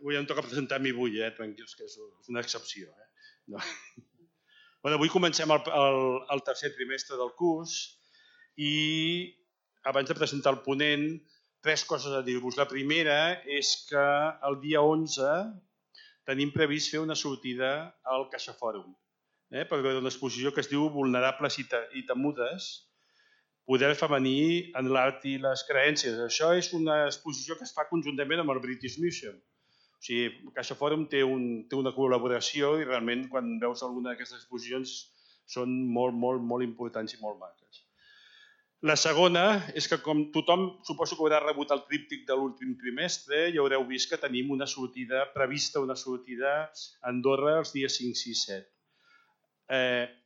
avui em toca presentar a mi avui, tranquils, que és una excepció. No. Bueno, avui comencem el tercer trimestre del curs i abans de presentar el ponent, 3 coses a dir-vos. La primera és que el dia 11 tenim previst fer una sortida al CaixaFòrum per veure una exposició que es diu Vulnerables i temudes, poder femení en l'art i les creences. Això és una exposició que es fa conjuntament amb el British Museum. O sigui, CaixaFòrum té una col·laboració i realment quan veus alguna d'aquestes exposicions són molt importants i molt maques. La segona és que com tothom suposo que haurà rebut el tríptic de l'últim trimestre i haureu vist que tenim una sortida a Andorra els dies 5, 6, 7.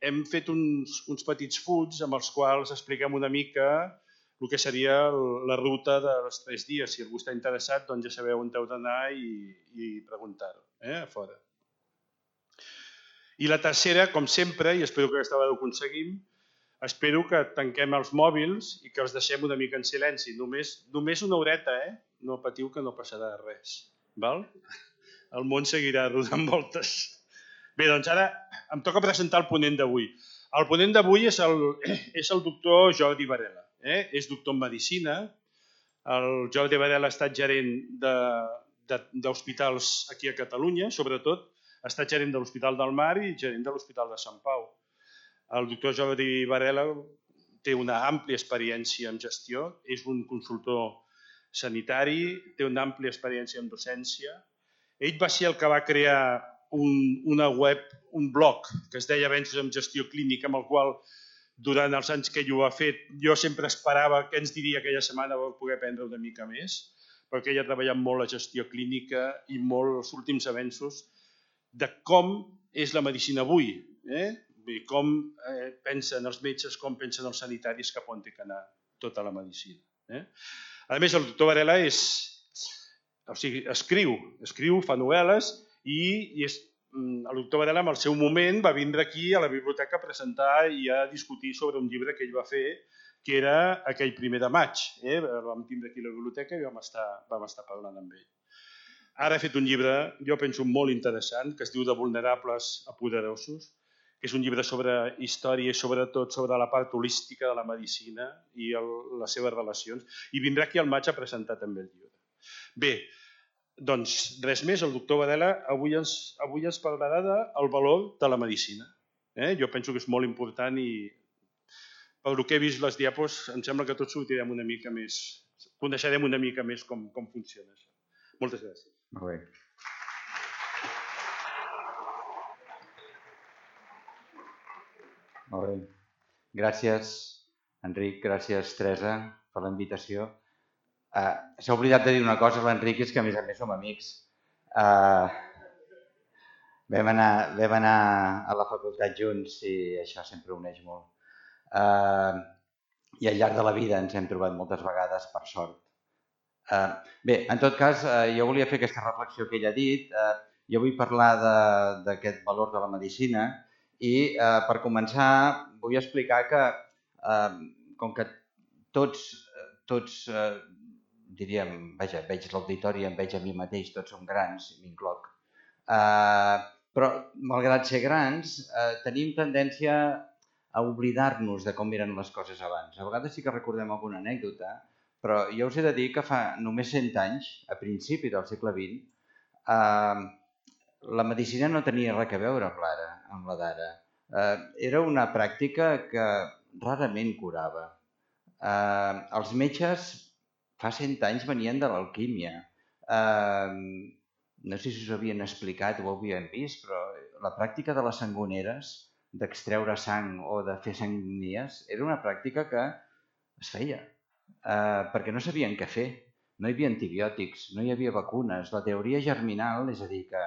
Hem fet uns petits fulls amb els quals expliquem una mica el que seria la ruta dels 3 dies. Si algú està interessat, doncs ja sabeu on heu d'anar i preguntar-ho a fora. I la tercera, com sempre, i espero que aquesta vegada ho aconseguim, espero que tanquem els mòbils i que els deixem una mica en silenci. Només una horeta, No patiu que no passarà res. Val? El món seguirà rodant voltes. Bé, doncs ara em toca presentar el ponent d'avui. El ponent d'avui és el doctor Jordi Varela. És doctor en Medicina. El Jordi Varela ha estat gerent d'hospitals aquí a Catalunya, sobretot ha estat gerent de l'Hospital del Mar i gerent de l'Hospital de Sant Pau. El doctor Jordi Varela té una àmplia experiència en gestió, és un consultor sanitari, té una àmplia experiència en docència. Ell va ser el que va crear una web, un blog, que es deia Avenços en Gestió Clínica, amb el qual, durant els anys que ell ho ha fet, jo sempre esperava què ens diria aquella setmana per poder aprendre una mica més, perquè ell ha treballat molt la gestió clínica i molt els últims avenços de com és la medicina avui, com pensen els metges, com pensen els sanitaris, cap on té que anar tota la medicina. A més, el doctor Varela escriu, fa novel·les i el doctor Varela en el seu moment va vindre aquí a la biblioteca a presentar i a discutir sobre un llibre que ell va fer que era aquell 1 de maig. El vam tindre aquí a la biblioteca i vam estar parlant amb ell. Ara ha fet un llibre, jo penso, molt interessant, que es diu De vulnerables a poderosos, que és un llibre sobre història i sobretot sobre la part holística de la medicina i les seves relacions. I vindrà aquí al maig a presentar també el llibre. Bé, doncs res més, el doctor Varela avui ens parlarà del valor de la medicina. Jo penso que és molt important i pel que he vist les diapos em sembla que tots sortirem una mica més, coneixerem una mica més com funciona això. Moltes gràcies. Molt bé. Molt bé. Gràcies, Enric, gràcies, Teresa, per la invitació. S'ha oblidat de dir una cosa, l'Enric, és que a més som amics. Vam anar a la facultat junts i això sempre uneix molt. I al llarg de la vida ens hem trobat moltes vegades, per sort. Bé, en tot cas, jo volia fer aquesta reflexió que ell ha dit. Jo vull parlar d'aquest valor de la medicina i per començar vull explicar que com que tots diríem, veig l'auditori, em veig a mi mateix, tots som grans, m'incloc, però malgrat ser grans tenim tendència a oblidar-nos de com eren les coses abans. A vegades sí que recordem alguna anècdota, però jo us he de dir que fa només 100 anys, a principi del segle XX, la medicina no tenia res a veure amb la d'ara. Era una pràctica que rarament curava. Els metges fa 100 anys venien de l'alquímia. No sé si us havien explicat o ho havien vist, però la pràctica de les sangoneres, d'extreure sang o de fer sagnies, era una pràctica que es feia, perquè no sabien què fer. No hi havia antibiòtics, no hi havia vacunes. La teoria germinal, és a dir, que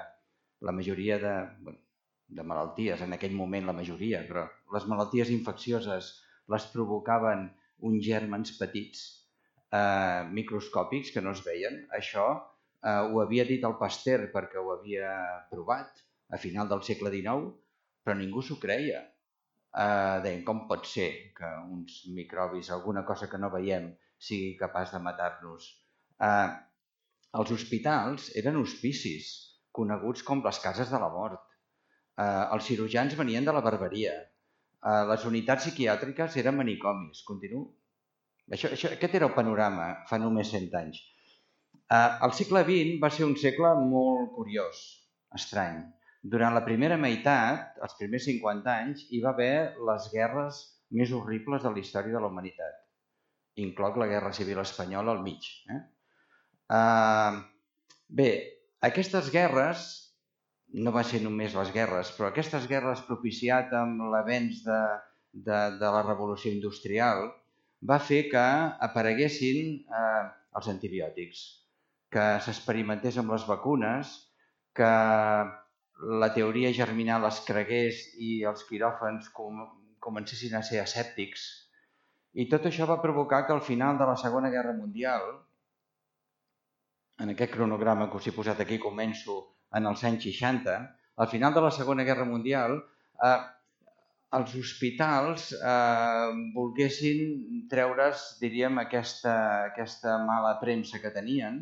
la majoria de malalties, en aquell moment la majoria, però les malalties infeccioses les provocaven uns gèrmens petits, microscòpics, que no es veien. Això ho havia dit el Pasteur perquè ho havia provat a final del segle XIX, però ningú s'ho creia. Deien, com pot ser que uns microbis, alguna cosa que no veiem, sigui capaç de matar-nos? Els hospitals eren hospicis, coneguts com les cases de la mort. Els cirurgians venien de la barberia. Les unitats psiquiàtriques eren manicomis. Continuo. Aquest era el panorama fa només 100 anys. El segle XX va ser un segle molt curiós, estrany. Durant la primera meitat, els primers 50 anys, hi va haver les guerres més horribles de la història de la humanitat. Incloc la Guerra Civil Espanyola al mig. Bé, aquestes guerres, no va ser només les guerres, però aquestes guerres propiciat amb l'avenç de la revolució industrial va fer que apareguessin els antibiòtics, que s'experimentés amb les vacunes, que la teoria germinal es cregués i els quiròfans comencessin a ser asèptics. I tot això va provocar que al final de la Segona Guerra Mundial, en aquest cronograma que us he posat aquí, començo en els anys 60, al final de la Segona Guerra Mundial, els hospitals volguessin treure's, diríem, aquesta mala premsa que tenien.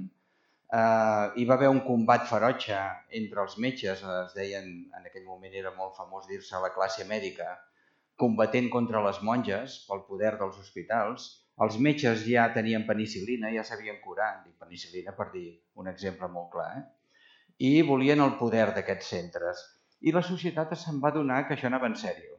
Hi va haver un combat ferotge entre els metges, es deien, en aquell moment era molt famós dir-se la classe mèdica, combatent contra les monges pel poder dels hospitals. Els metges ja tenien penicil·lina, ja sabien curar, dic penicil·lina per dir un exemple molt clar, i volien el poder d'aquests centres. I la societat se'n va adonar que això anava en sèrio.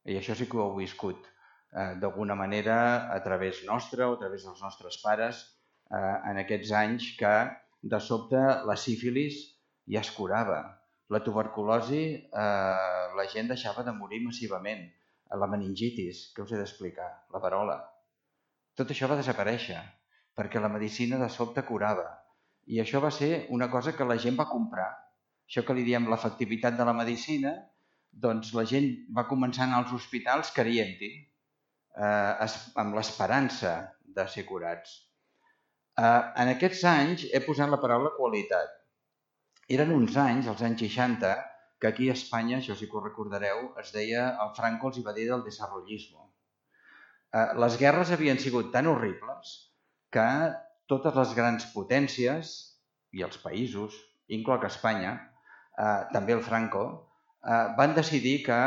I això sí que ho heu viscut d'alguna manera a través nostre o a través dels nostres pares en aquests anys que de sobte la sífilis ja es curava. La tuberculosi, la gent deixava de morir massivament. La meningitis, què us he d'explicar? La verola. Tot això va desaparèixer perquè la medicina de sobte curava. I això va ser una cosa que la gent va comprar. Això que li diem l'efectivitat de la medicina, doncs la gent va començar a anar als hospitals creient-hi, amb l'esperança de ser curats. En aquests anys he posat la paraula qualitat. Eren uns anys, els anys 60, que aquí a Espanya, això sí que ho recordareu, es deia, el Franco els hi va dir del desarrollismo. Les guerres havien sigut tan horribles que totes les grans potències i els països, incloc Espanya, també el Franco, van decidir que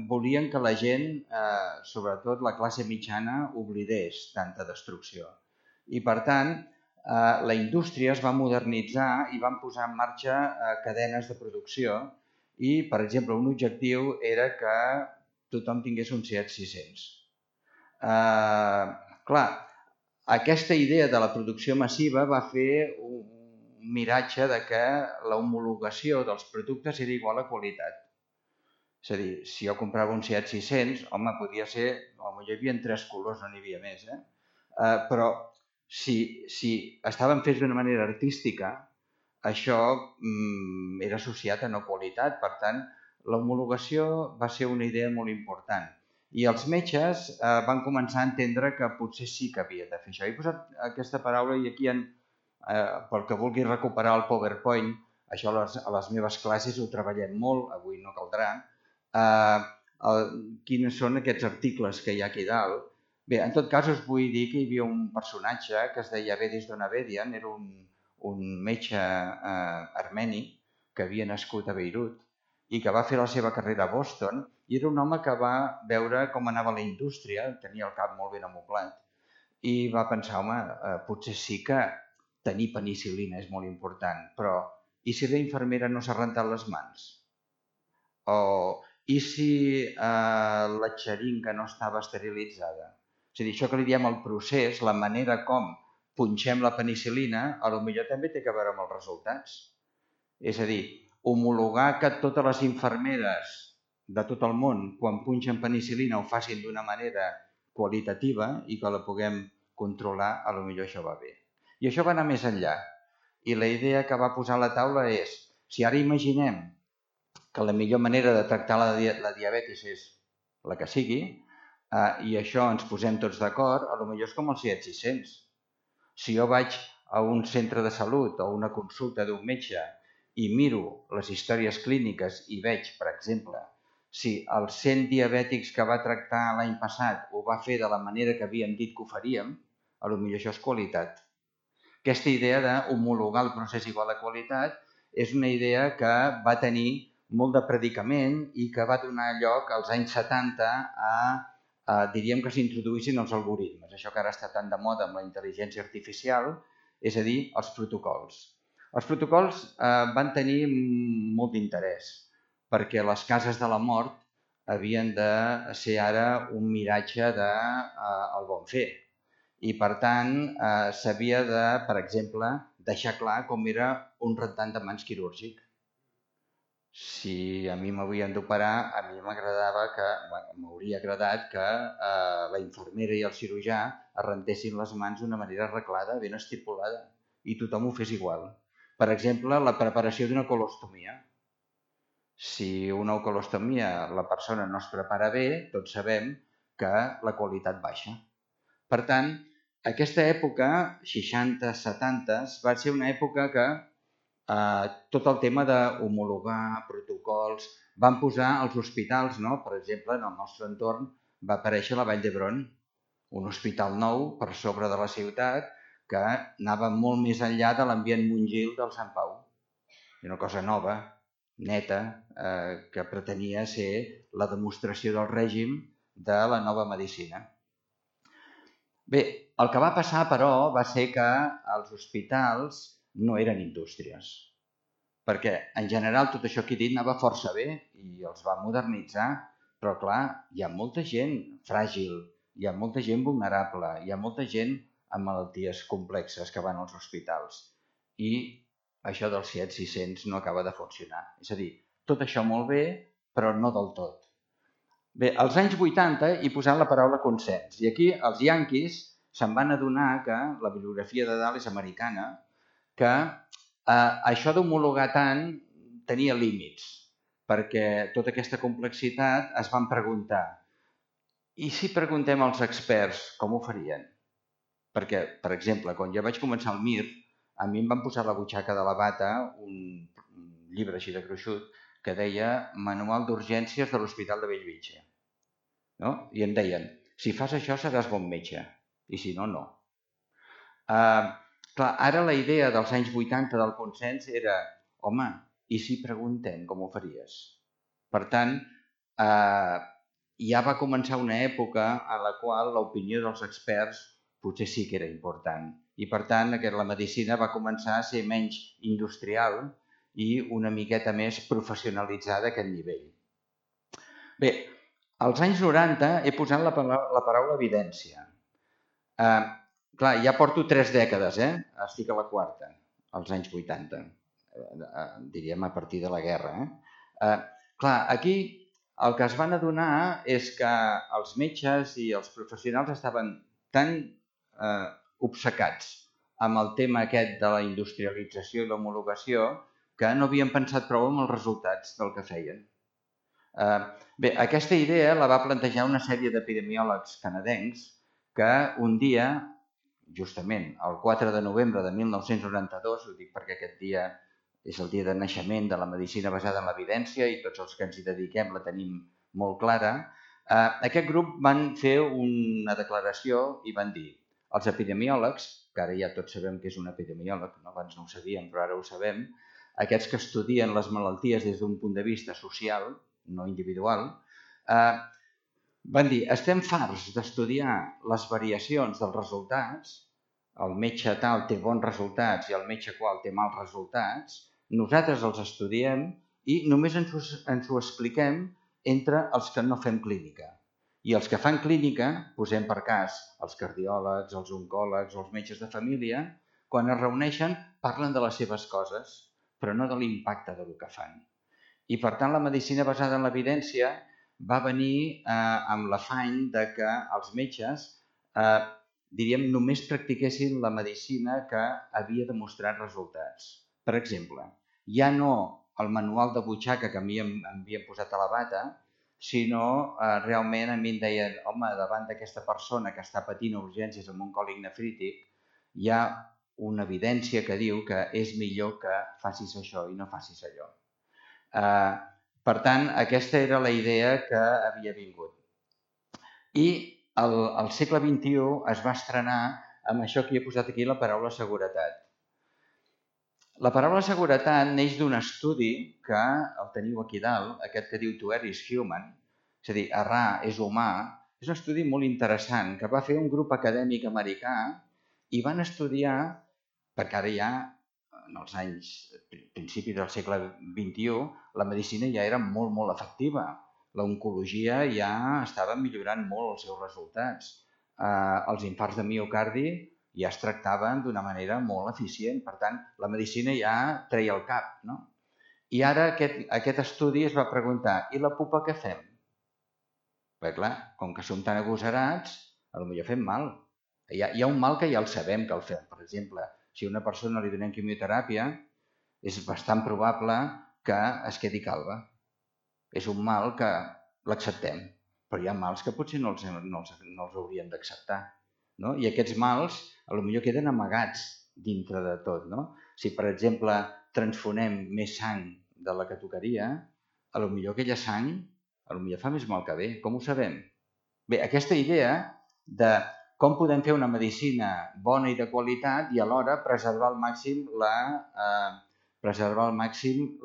volien que la gent, sobretot la classe mitjana, oblidés tanta destrucció. I per tant, la indústria es va modernitzar i van posar en marxa cadenes de producció i, per exemple, un objectiu era que tothom tingués un Seat 600. Clar, aquesta idea de la producció massiva va fer un miratge de que l'homologació dels productes era igual a qualitat. És a dir, si jo comprava un Seat 600, home, podia ser, potser hi havia 3 colors, no n'hi havia més, però si estaven fets d'una manera artística, això era associat a no qualitat. Per tant, l'homologació va ser una idea molt important. I els metges van començar a entendre que potser sí que havia de fer això. He posat aquesta paraula i aquí, pel que vulgui recuperar el PowerPoint, això a les meves classes ho treballem molt, avui no caldrà, quins són aquests articles que hi ha aquí dalt. Bé, en tot cas us vull dir que hi havia un personatge que es deia Vedis Donabedian, era un metge armeni que havia nascut a Beirut i que va fer la seva carrera a Boston i era un home que va veure com anava la indústria, tenia el cap molt ben amoblat i va pensar, home, potser sí que tenir penicil·lina és molt important, però i si la infermera no s'ha rentat les mans? I si la xeringa no estava esterilitzada? És a dir, això que li diem el procés, la manera com punxem la penicil·lina, potser també té a veure amb els resultats. És a dir, homologar que totes les infermeres de tot el món, quan punxen penicil·lina, ho facin d'una manera qualitativa i que la puguem controlar, potser això va bé. I això va anar més enllà. I la idea que va posar a la taula és, si ara imaginem que la millor manera de tractar la diabetis és la que sigui, i això ens posem tots d'acord, potser és com el Seat 600. Si jo vaig a un centre de salut o una consulta d'un metge i miro les històries clíniques i veig, per exemple, si els 100 diabètics que va tractar l'any passat ho va fer de la manera que havíem dit que ho faríem, potser això és qualitat. aquesta idea d'homologar el procés igual de qualitat és una idea que va tenir molt de predicament i que va donar lloc als anys 70 diríem que s'introduïssin els algoritmes, això que ara està tan de moda amb la intel·ligència artificial, és a dir, els protocols. Els protocols van tenir molt d'interès perquè les cases de la mort havien de ser ara un miratge del bon fer. I, per tant, s'havia de, per exemple, deixar clar com era un rentant de mans quirúrgic. Si a mi m'havien d'operar, a mi m'hauria agradat que la infermera i el cirurgià es rentessin les mans d'una manera arreglada, ben estipulada, i tothom ho fes igual. Per exemple, la preparació d'una colostomia. Si una colostomia la persona no es prepara bé, tots sabem que la qualitat baixa. Per tant, aquesta època, 60-70, va ser una època que tot el tema d'homologar protocols van posar als hospitals, no? Per exemple, en el nostre entorn va aparèixer la Vall d'Hebron, un hospital nou per sobre de la ciutat que anava molt més enllà de l'ambient mongil del Sant Pau. Una cosa nova, neta, que pretenia ser la demostració del règim de la nova medicina. Bé, el que va passar, però, va ser que els hospitals no eren indústries, perquè en general tot això que he dit anava força bé i els va modernitzar, però clar, hi ha molta gent fràgil, hi ha molta gent vulnerable, hi ha molta gent amb malalties complexes que van als hospitals i això dels 7-600 no acaba de funcionar. És a dir, tot això molt bé, però no del tot. Bé, als anys 80 he posat la paraula consens i aquí els yanquis se'n van adonar que la bibliografia de dalt és americana, que això d'homologar tant tenia límits, perquè tota aquesta complexitat es van preguntar i si preguntem als experts com ho farien? Perquè, per exemple, quan jo vaig començar al MIR, a mi em van posar a la butxaca de la bata un llibre així de gruixut que deia Manual d'Urgències de l'Hospital de Bellvitge. No? I em deien, si fas això seràs bon metge, i si no, no. Clar, ara la idea dels anys 80 del consens era, home, i si preguntem com ho faries? Per tant, ja va començar una època en la qual l'opinió dels experts potser sí que era important. I per tant, la medicina va començar a ser menys industrial i una miqueta més professionalitzada a aquest nivell. Bé, als anys 90 he posat la paraula evidència. Clar, ja porto 3 dècades, estic a la quarta, als anys 80, diríem a partir de la guerra. Clar, aquí el que es van adonar és que els metges i els professionals estaven tan obcecats amb el tema aquest de la industrialització i l'homologació que no havien pensat prou en els resultats del que feien. Bé, aquesta idea la va plantejar una sèrie d'epidemiòlegs canadencs que un dia, justament el 4 de novembre de 1992, ho dic perquè aquest dia és el dia de naixement de la medicina basada en l'evidència i tots els que ens hi dediquem la tenim molt clara, aquest grup van fer una declaració i van dir els epidemiòlegs, que ara ja tots sabem que és un epidemiòleg, abans no ho sabíem però ara ho sabem, aquests que estudien les malalties des d'un punt de vista social, no individual, van dir, estem farts d'estudiar les variacions dels resultats, el metge tal té bons resultats i el metge qual té mals resultats, nosaltres els estudiem i només ens ho expliquem entre els que no fem clínica. I els que fan clínica, posem per cas els cardiòlegs, els oncòlegs, els metges de família, quan es reuneixen parlen de les seves coses, però no de l'impacte del que fan. I per tant la medicina basada en l'evidència va venir amb l'afany que els metges diríem, només practiquessin la medicina que havia demostrat resultats. Per exemple, ja no el manual de butxaca que a mi em havien posat a la bata, sinó realment a mi em deien, home, davant d'aquesta persona que està patint urgències amb un còlic nefrític, hi ha una evidència que diu que és millor que facis això i no facis allò. Per tant, aquesta era la idea que havia vingut. I al segle XXI es va estrenar amb això que he posat aquí, la paraula seguretat. La paraula seguretat neix d'un estudi que el teniu aquí dalt, aquest que diu To Err is Human, és a dir, errar és humà. És un estudi molt interessant que va fer un grup acadèmic americà i van estudiar, perquè ara ja, en els anys, principis del segle XXI, la medicina ja era molt, molt efectiva. L'oncologia ja estava millorant molt els seus resultats. Els infarts de miocardi ja es tractaven d'una manera molt eficient. Per tant, la medicina ja treia el cap, no? I ara aquest estudi es va preguntar, i la pupa què fem? Perquè clar, com que som tan agosarats, potser fem mal. Hi ha un mal que ja el sabem que el fem. Per exemple, si a una persona li donem quimioteràpia, és bastant probable que es quedi calba. És un mal que l'acceptem, però hi ha mals que potser no els hauríem d'acceptar. No? I aquests mals potser queden amagats dintre de tot. No? Si, per exemple, transfonem més sang de la que tocaria, potser aquella sang fa més mal que bé. Com ho sabem? Bé, aquesta idea de com podem fer una medicina bona i de qualitat i alhora preservar al màxim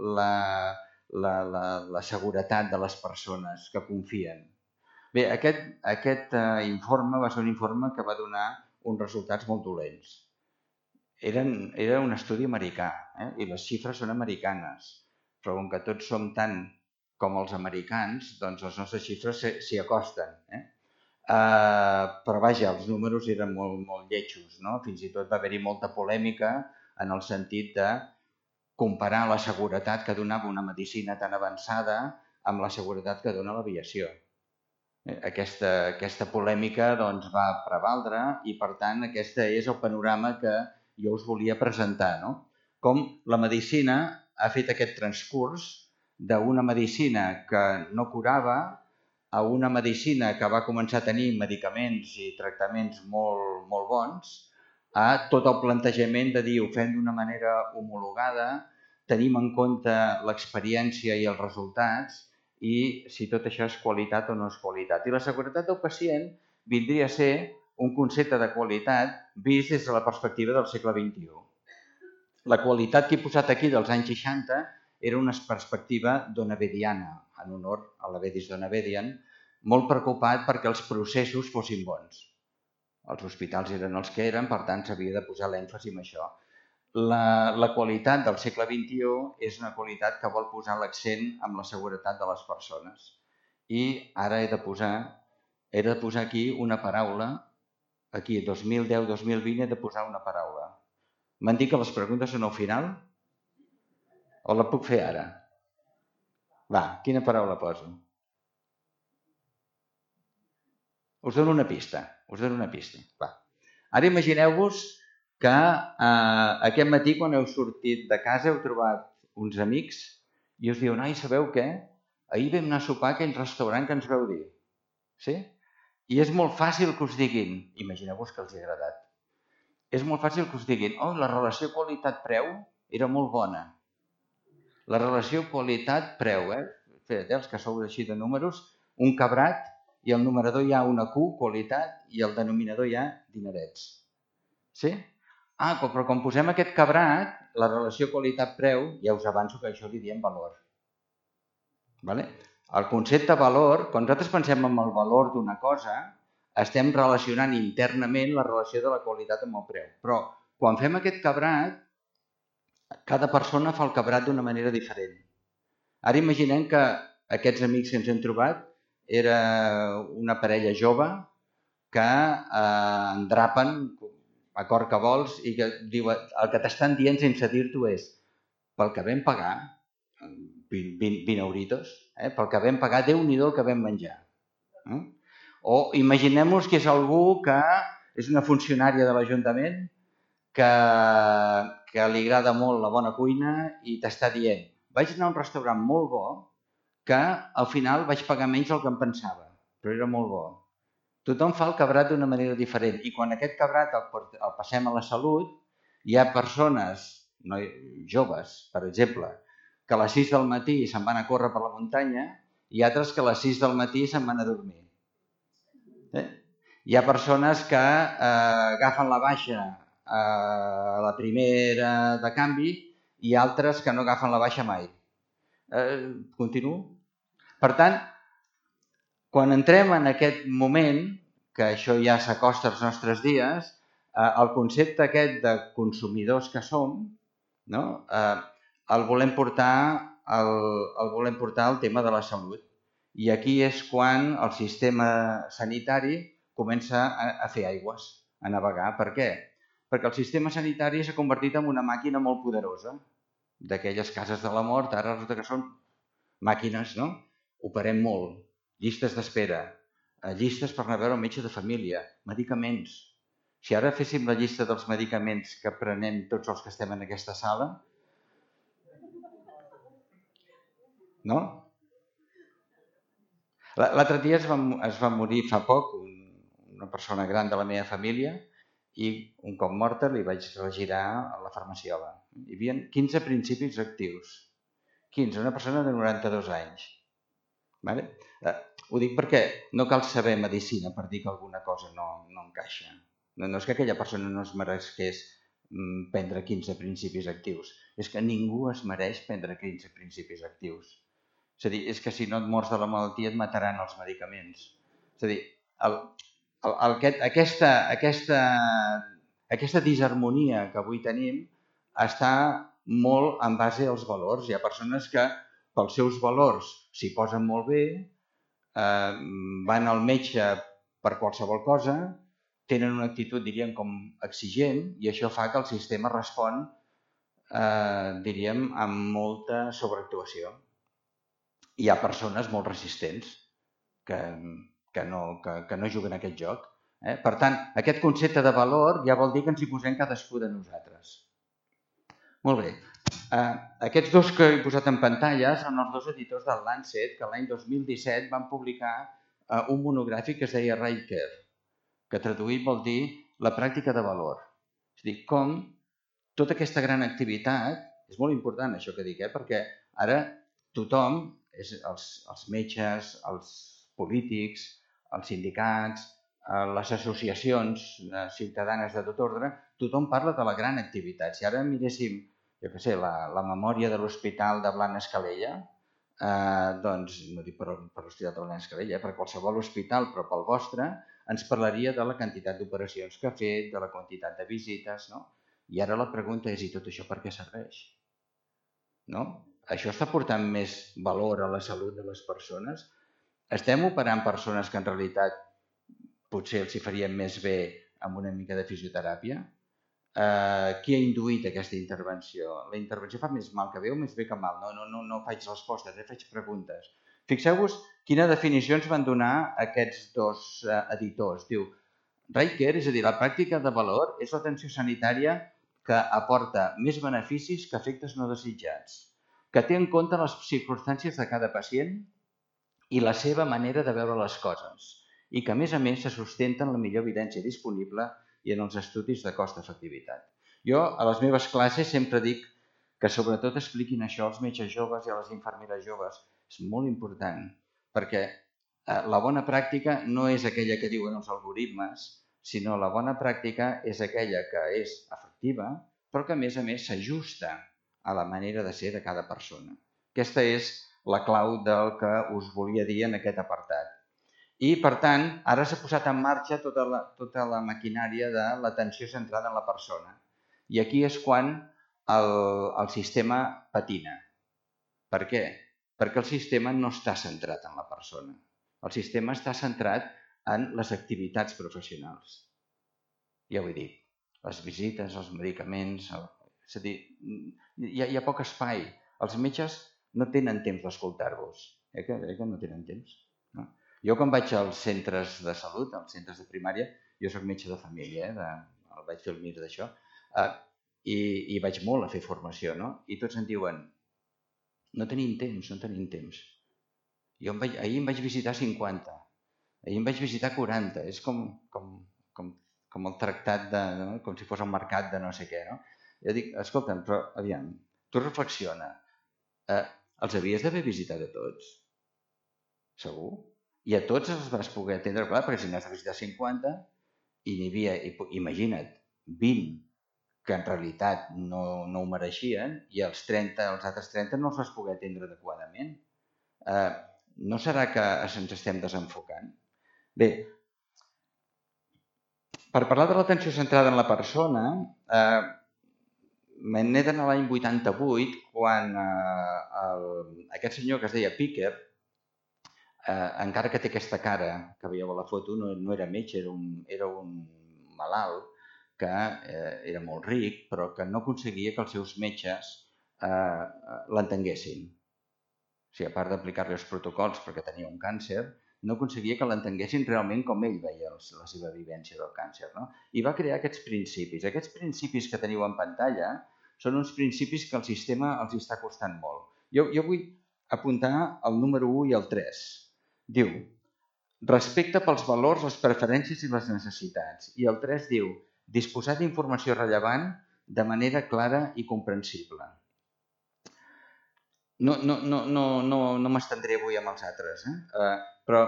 la seguretat de les persones que confien. Bé, aquest informe va ser un informe que va donar uns resultats molt dolents. Era un estudi americà, i les xifres són americanes, però com que tots som tant com els americans, doncs les nostres xifres s'hi acosten. Però vaja, els números eren molt lletjos, no? Fins i tot va haver-hi molta polèmica en el sentit de comparar la seguretat que donava una medicina tan avançada amb la seguretat que dona l'aviació. Aquesta polèmica doncs, va prevaldre i, per tant, aquest és el panorama que jo us volia presentar. No? Com la medicina ha fet aquest transcurs d'una medicina que no curava a una medicina que va començar a tenir medicaments i tractaments molt bons, a tot el plantejament de dir ho fem d'una manera homologada, tenim en compte l'experiència i els resultats i si tot això és qualitat o no és qualitat. I la seguretat del pacient vindria a ser un concepte de qualitat vist des de la perspectiva del segle XXI. La qualitat que he posat aquí dels anys 60 era una perspectiva donavediana, en honor a l'Avedis Donavedian, molt preocupat perquè els processos fossin bons. Els hospitals eren els que eren, per tant s'havia de posar l'èmfasi en això. La qualitat del segle XXI és una qualitat que vol posar l'accent en la seguretat de les persones. I ara he de posar aquí una paraula, aquí 2010-2020 he de posar una paraula. M'han dit que les preguntes són al final? O la puc fer ara? Va, quina paraula poso? Us dono una pista. Va. Ara imagineu-vos que aquest matí quan heu sortit de casa heu trobat uns amics i us diuen, ai, sabeu què? Ahir vam anar a sopar a aquell restaurant que ens vau dir. Sí? I és molt fàcil que us diguin, imagineu-vos que els ha agradat, és molt fàcil que us diguin, oh, la relació qualitat-preu era molt bona. La relació qualitat-preu, els que sou així de números, un cabrat i al numerador hi ha una Q, qualitat, i al denominador hi ha dinerets. Sí? Però quan posem aquest cabrat, la relació qualitat-preu, ja us avanço que això li diem valor. El concepte valor, quan nosaltres pensem en el valor d'una cosa, estem relacionant internament la relació de la qualitat amb el preu. Però quan fem aquest cabrat, cada persona fa el cabrat d'una manera diferent. Ara imaginem que aquests amics que ens hem trobat era una parella jove que endrapen a cor que vols i que diu, el que t'estan dient sense dir-t'ho és pel que vam pagar, 20 euritos, pel que vam pagar, Déu-n'hi-do el que vam menjar. O imaginem-nos que és algú que és una funcionària de l'Ajuntament que li agrada molt la bona cuina i t'està dient, vaig anar a un restaurant molt bo que al final vaig pagar menys del que em pensava, però era molt bo. Tothom fa el cabrat d'una manera diferent i quan aquest cabrat el passem a la salut, hi ha persones joves, per exemple, que a les 6 del matí se'n van a córrer per la muntanya i altres que a les 6 del matí se'n van a dormir. Hi ha persones que agafen la baixa a la primera de canvi i altres que no agafen la baixa mai. Continuo? Per tant, quan entrem en aquest moment, que això ja s'acosta als nostres dies, el concepte aquest de consumidors que som, no? El volem portar al tema de la salut. I aquí és quan el sistema sanitari comença a fer aigües, a navegar. Per què? Perquè el sistema sanitari s'ha convertit en una màquina molt poderosa. D'aquelles cases de la mort, ara resulta que són màquines, no? Operem molt, llistes d'espera, llistes per anar a veure el metge de família, medicaments. Si ara féssim la llista dels medicaments que prenem tots els que estem en aquesta sala, no? L'altre dia es va morir fa poc una persona gran de la meva família i un cop morta li vaig regirar a la farmaciola. Hi havia 15 principis actius. 15, una persona de 92 anys. Vale? Ho dic perquè no cal saber medicina per dir que alguna cosa no encaixa. No és que aquella persona no es mereixés prendre 15 principis actius. És que ningú es mereix prendre 15 principis actius. És a dir, és que si no et mors de la malaltia et mataran els medicaments. És a dir, aquesta disharmonia que avui tenim està molt en base als valors. Hi ha persones que pels seus valors s'hi posen molt bé, van al metge per qualsevol cosa, tenen una actitud, diríem, com exigent i això fa que el sistema respon, diríem, amb molta sobreactuació. Hi ha persones molt resistents que no juguen a aquest joc. Per tant, aquest concepte de valor ja vol dir que ens hi posem cadascú de nosaltres. Molt bé. Aquests dos que he posat en pantalla són els dos editors del Lancet que l'any 2017 van publicar un monogràfic que es deia Right Care, que traduït vol dir la pràctica de valor. És a dir, com tota aquesta gran activitat, és molt important això que dic, perquè ara tothom, els metges, els polítics, els sindicats, les associacions ciutadanes de tot ordre, tothom parla de la gran activitat. Si ara miréssim, jo què sé, la memòria de l'Hospital de Blanes Calella, doncs, no dic per l'Hospital de Blanes Calella, per qualsevol hospital, però pel vostre, ens parlaria de la quantitat d'operacions que ha fet, de la quantitat de visites, no? I ara la pregunta és, i tot això per què serveix? No? Això està portant més valor a la salut de les persones? Estem operant persones que en realitat potser els hi farien més bé amb una mica de fisioteràpia? Qui ha induït aquesta intervenció? La intervenció fa més mal que bé o més bé que mal? No faig respostes, faig preguntes. Fixeu-vos quina definició ens van donar aquests dos editors. Diu, Right Care, és a dir, la pràctica de valor és l'atenció sanitària que aporta més beneficis que efectes no desitjats, que té en compte les circumstàncies de cada pacient i la seva manera de veure les coses, i que, a més, se sustenta en la millor evidència disponible i en els estudis de cost-efectivitat. Jo, a les meves classes, sempre dic que sobretot expliquin això als metges joves i a les infermeres joves. És molt important, perquè la bona pràctica no és aquella que diuen els algoritmes, sinó la bona pràctica és aquella que és efectiva, però que, a més, s'ajusta a la manera de ser de cada persona. Aquesta és la clau del que us volia dir en aquest apartat. I, per tant, ara s'ha posat en marxa tota la maquinària de l'atenció centrada en la persona. I aquí és quan el sistema patina. Per què? Perquè el sistema no està centrat en la persona. El sistema està centrat en les activitats professionals. Ja ho he dit, les visites, els medicaments... És a dir, hi ha poc espai. Els metges no tenen temps d'escoltar-vos. Que no tenen temps, no? Jo quan vaig als centres de salut, als centres de primària, jo soc metge de família, vaig fer el MIR d'això, i vaig molt a fer formació, no? I tots em diuen, no tenim temps. Ahir em vaig visitar 50, ahir em vaig visitar 40, és com el tractat, com si fos el mercat de no sé què, no? Jo dic, escolta'm, però aviam, tu reflexiona, els havies d'haver visitat a tots? Segur? I a tots els vas poder atendre, clar, perquè si n'has de visitar 50 i n'hi havia, imagina't, 20 que en realitat no ho mereixien i els altres 30 no els vas poder atendre adequadament. No serà que ens estem desenfocant? Bé, per parlar de l'atenció centrada en la persona, me n'he d'anar a l'any 88, quan aquest senyor que es deia Picker, encara que té aquesta cara que veieu a la foto, no era metge, era un malalt que era molt ric, però que no aconseguia que els seus metges l'entenguessin. O sigui, a part d'aplicar-li els protocols perquè tenia un càncer, no aconseguia que l'entenguessin realment com ell veia la seva vivència del càncer. No? I va crear aquests principis. Aquests principis que teniu en pantalla són uns principis que el sistema els està costant molt. Jo vull apuntar el número 1 i el 3. Diu, respecte pels valors, les preferències i les necessitats. I el 3 diu, disposar d'informació rellevant de manera clara i comprensible. No m'estendré avui amb els altres, però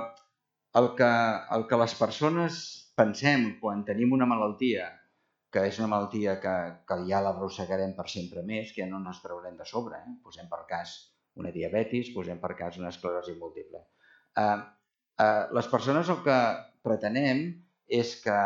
el que les persones pensem quan tenim una malaltia, que és una malaltia que ja l'arrossegarem per sempre més, que ja no ens traurem de sobre, posem per cas una diabetis, posem per cas una esclerosi múltiple. Les persones el que pretenem és que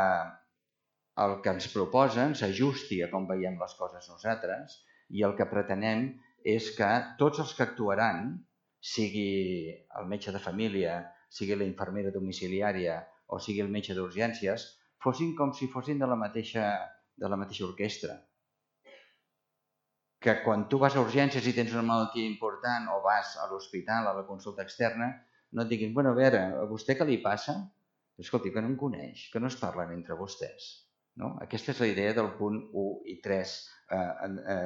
el que ens proposen s'ajusti a com veiem les coses nosaltres i el que pretenem és que tots els que actuaran, sigui el metge de família, sigui la infermera domiciliària o sigui el metge d'urgències, fossin com si fossin de la mateixa orquestra. Que quan tu vas a urgències i tens una malaltia important o vas a l'hospital, a la consulta externa, no et diguin, bueno, a veure, a vostè què li passa? Escolti, que no em coneix, que no es parlen entre vostès. No? Aquesta és la idea del punt 1 i 3,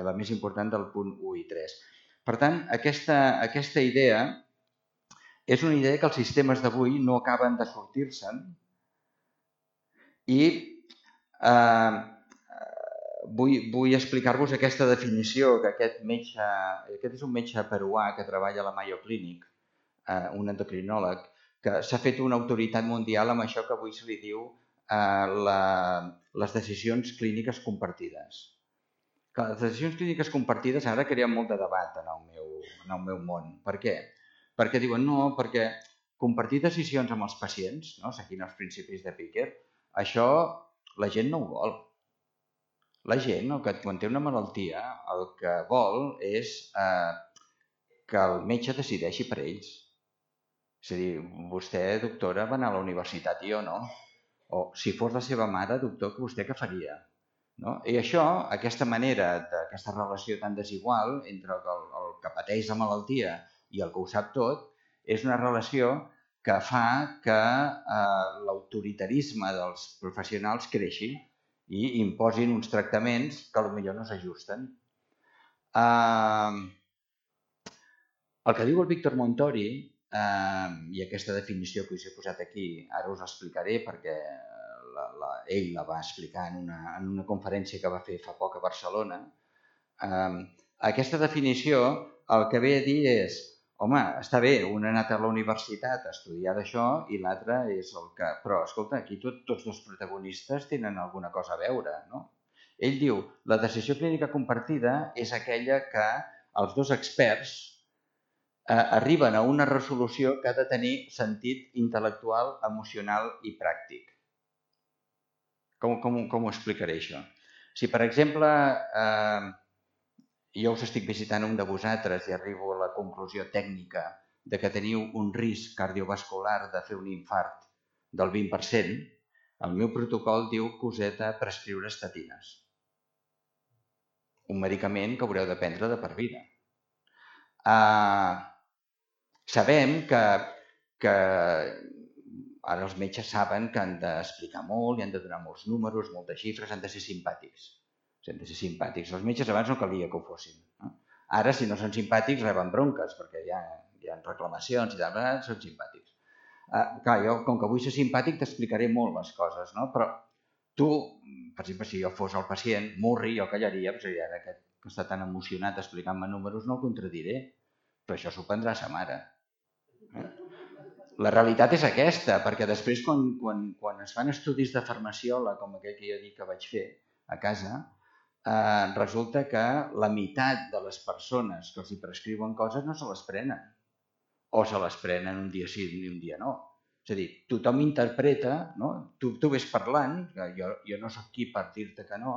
la més important del punt 1 i 3. Per tant, aquesta idea és una idea que els sistemes d'avui no acaben de sortir-se'n i vull explicar-vos aquesta definició que aquest és un metge peruà que treballa a la Mayo Clinic, un endocrinòleg, que s'ha fet una autoritat mundial amb això que avui se li diu les decisions clíniques compartides. Les decisions clíniques compartides ara creen molt de debat en el meu món. Per què? Perquè diuen no, perquè compartir decisions amb els pacients, seguint els principis de Picker, això la gent no ho vol. La gent, quan té una malaltia, el que vol és que el metge decideixi per ells. És a dir, vostè, doctora, va anar a la universitat i jo no. O si fos la seva mare, doctor, vostè què faria? I això, aquesta manera, aquesta relació tan desigual entre el que pateix la malaltia i el que ho sap tot, és una relació que fa que l'autoritarisme dels professionals creixi i imposin uns tractaments que potser no s'ajusten. El que diu el Víctor Montori, i aquesta definició que us he posat aquí, ara us l'explicaré perquè ell la va explicar en una conferència que va fer fa poc a Barcelona. Aquesta definició el que ve a dir és, home, està bé, un ha anat a la universitat a estudiar d'això i l'altre és el que... Però, escolta, aquí tots dos protagonistes tenen alguna cosa a veure, no? Ell diu, la decisió clínica compartida és aquella que els dos experts arriben a una resolució que ha de tenir sentit intel·lectual, emocional i pràctic. Com ho explicaré, això? Si, per exemple, jo us estic visitant un de vosaltres i arribo a la conclusió tècnica de que teniu un risc cardiovascular de fer un infart del 20%, el meu protocol diu que us he de prescriure estatines. Un medicament que haureu de prendre de per vida. Sabem que ara els metges saben que han d'explicar molt i han de donar molts números, moltes xifres, han de ser simpàtics. Han de ser simpàtics. Els metges abans no calia que ho fossin. Ara, si no són simpàtics, reben bronques, perquè hi ha reclamacions i tal, són simpàtics. Clar, jo, com que vull ser simpàtic, t'explicaré molt les coses, no? Però tu, per exemple, si jo fos el pacient, Murri, jo callaria, perquè ara que està tan emocionat explicant-me números no el contradiré, però això s'ho prendrà sa mare. La realitat és aquesta, perquè després quan es fan estudis de farmaciola, com aquell que jo dic que vaig fer a casa, resulta que la meitat de les persones que els hi prescriuen coses no se les prenen. O se les prenen un dia sí i un dia no. És a dir, tothom interpreta, no? Tu ves parlant, que jo no soc qui per dir-te que no,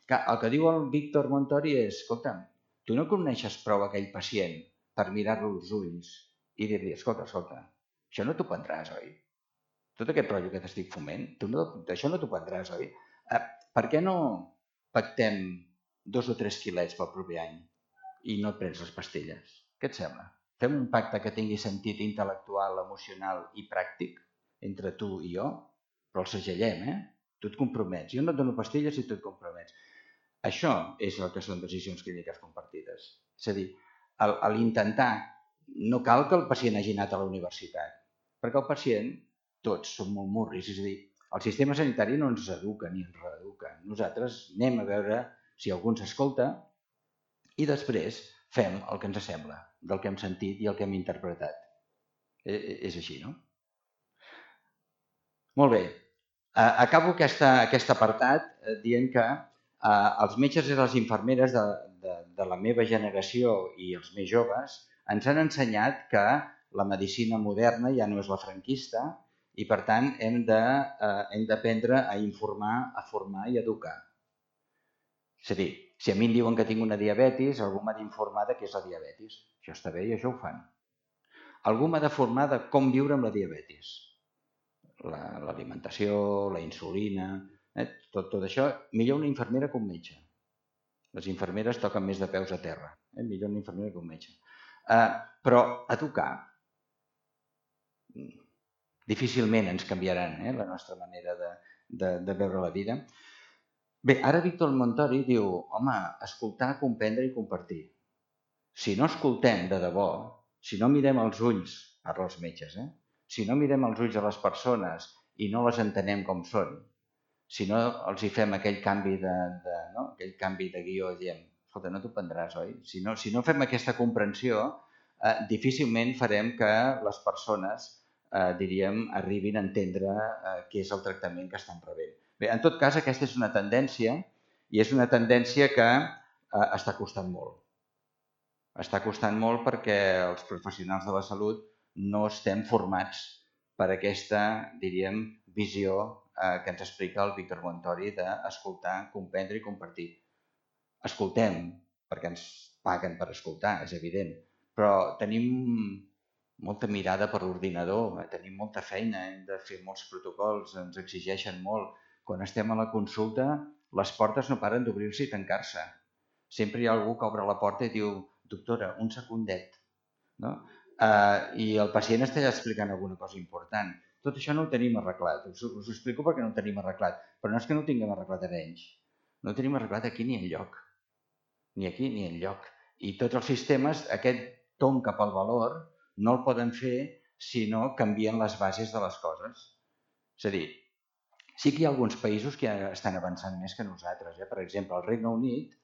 que el que diu el Víctor Montori és, escolta'm, tu no coneixes prou aquell pacient per mirar-lo als ulls i dir-li, escolta, això no t'ho prendràs, oi? Tot aquest rotllo que t'estic foment, això no t'ho prendràs, oi? Per què no pactem 2 o 3 quilets pel proper any i no et prens les pastilles? Què et sembla? Fem un pacte que tingui sentit intel·lectual, emocional i pràctic entre tu i jo, però el segellem, Tu et compromets. Jo no et dono pastilles si tu et compromets. Això és el que són decisions clíniques compartides. És a dir, a l'intentar, no cal que el pacient hagi anat a la universitat, perquè el pacient, tots som molt murris, és a dir, el sistema sanitari no ens educa ni ens reeduca. Nosaltres anem a veure si algú ens escolta i després fem el que ens sembla, del que hem sentit i el que hem interpretat. És així, no? Molt bé. Acabo aquest apartat dient que els metges i les infermeres de la meva generació i els més joves ens han ensenyat que la medicina moderna ja no és la franquista i, per tant, hem d'aprendre a informar, a formar i a educar. És a dir, si a mi em diuen que tinc una diabetis, algú m'ha d'informar de què és la diabetis. Això està bé i això ho fan. Algú m'ha de formar de com viure amb la diabetis. L'alimentació, la insulina, tot això, millor una infermera que un metge. Les infermeres toquen més de peus a terra, millor una infermera que un metge. Però educar, difícilment ens canviaran la nostra manera de veure la vida. Bé, ara Víctor Montori diu, home, escoltar, comprendre i compartir. Si no escoltem de debò, si no mirem als ulls, parla els metges, si no mirem als ulls a les persones i no les entenem com són, si no els hi fem aquell canvi de guió i diem, escolta, no t'ho prendràs, oi? Si no fem aquesta comprensió, difícilment farem que les persones, arribin a entendre què és el tractament que estan rebent. Bé, en tot cas, aquesta és una tendència i és una tendència que està costant molt. Està costant molt perquè els professionals de la salut no estem formats per aquesta, diríem, visió que ens explica el Víctor Montori d'escoltar, comprendre i compartir. Escoltem, perquè ens paguen per escoltar, és evident, però tenim molta mirada per l'ordinador, tenim molta feina, hem de fer molts protocols, ens exigeixen molt. Quan estem a la consulta, les portes no paren d'obrir-se i tancar-se. Sempre hi ha algú que obre la porta i diu, doctora, un secundet. I el pacient està explicant alguna cosa important. Tot això no ho tenim arreglat. Us ho explico perquè no ho tenim arreglat. Però no és que no ho tinguem arreglat a Arenys. No ho tenim arreglat aquí ni enlloc. Ni aquí ni enlloc. I tots els sistemes, aquest tomb cap al valor, no el poden fer si no canvien les bases de les coses. És a dir, sí que hi ha alguns països que ja estan avançant més que nosaltres. Per exemple, el Regne Unit,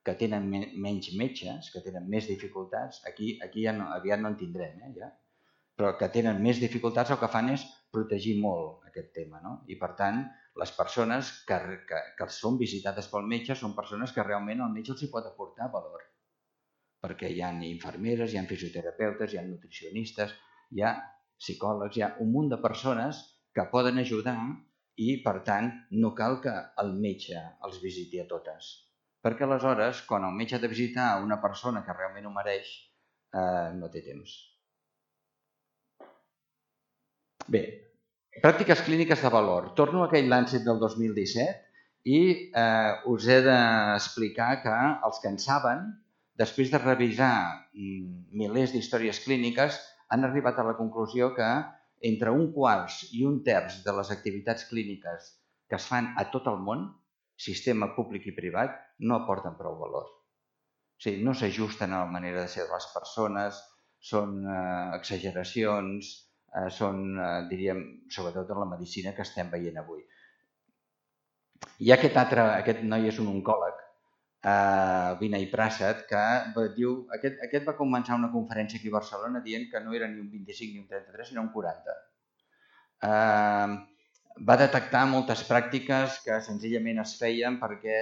que tenen menys metges, que tenen més dificultats, aquí ja aviat no en tindrem, però que tenen més dificultats, el que fan és protegir molt aquest tema. I, per tant, les persones que són visitades pel metge són persones que realment el metge els hi pot aportar valor. Perquè hi ha infermeres, hi ha fisioterapeutes, hi ha nutricionistes, hi ha psicòlegs, hi ha un munt de persones que poden ajudar i, per tant, no cal que el metge els visiti a totes. Perquè aleshores, quan el metge ha de visitar una persona que realment ho mereix, no té temps. Bé, pràctiques clíniques de valor. Torno a aquell Lancet del 2017 i us he d'explicar que els que en saben, després de revisar milers d'històries clíniques, han arribat a la conclusió que entre 1/4 i 1/3 de les activitats clíniques que es fan a tot el món, sistema públic i privat, no aporten prou valor. O sigui, no s'ajusten a la manera de ser de les persones, són exageracions, són, diríem, sobretot en la medicina que estem veient avui. I aquest noi és un oncòleg Vinay Prasad, que diu, aquest va començar una conferència aquí a Barcelona dient que no era ni un 25 ni un 33, sinó un 40. Va detectar moltes pràctiques que senzillament es feien perquè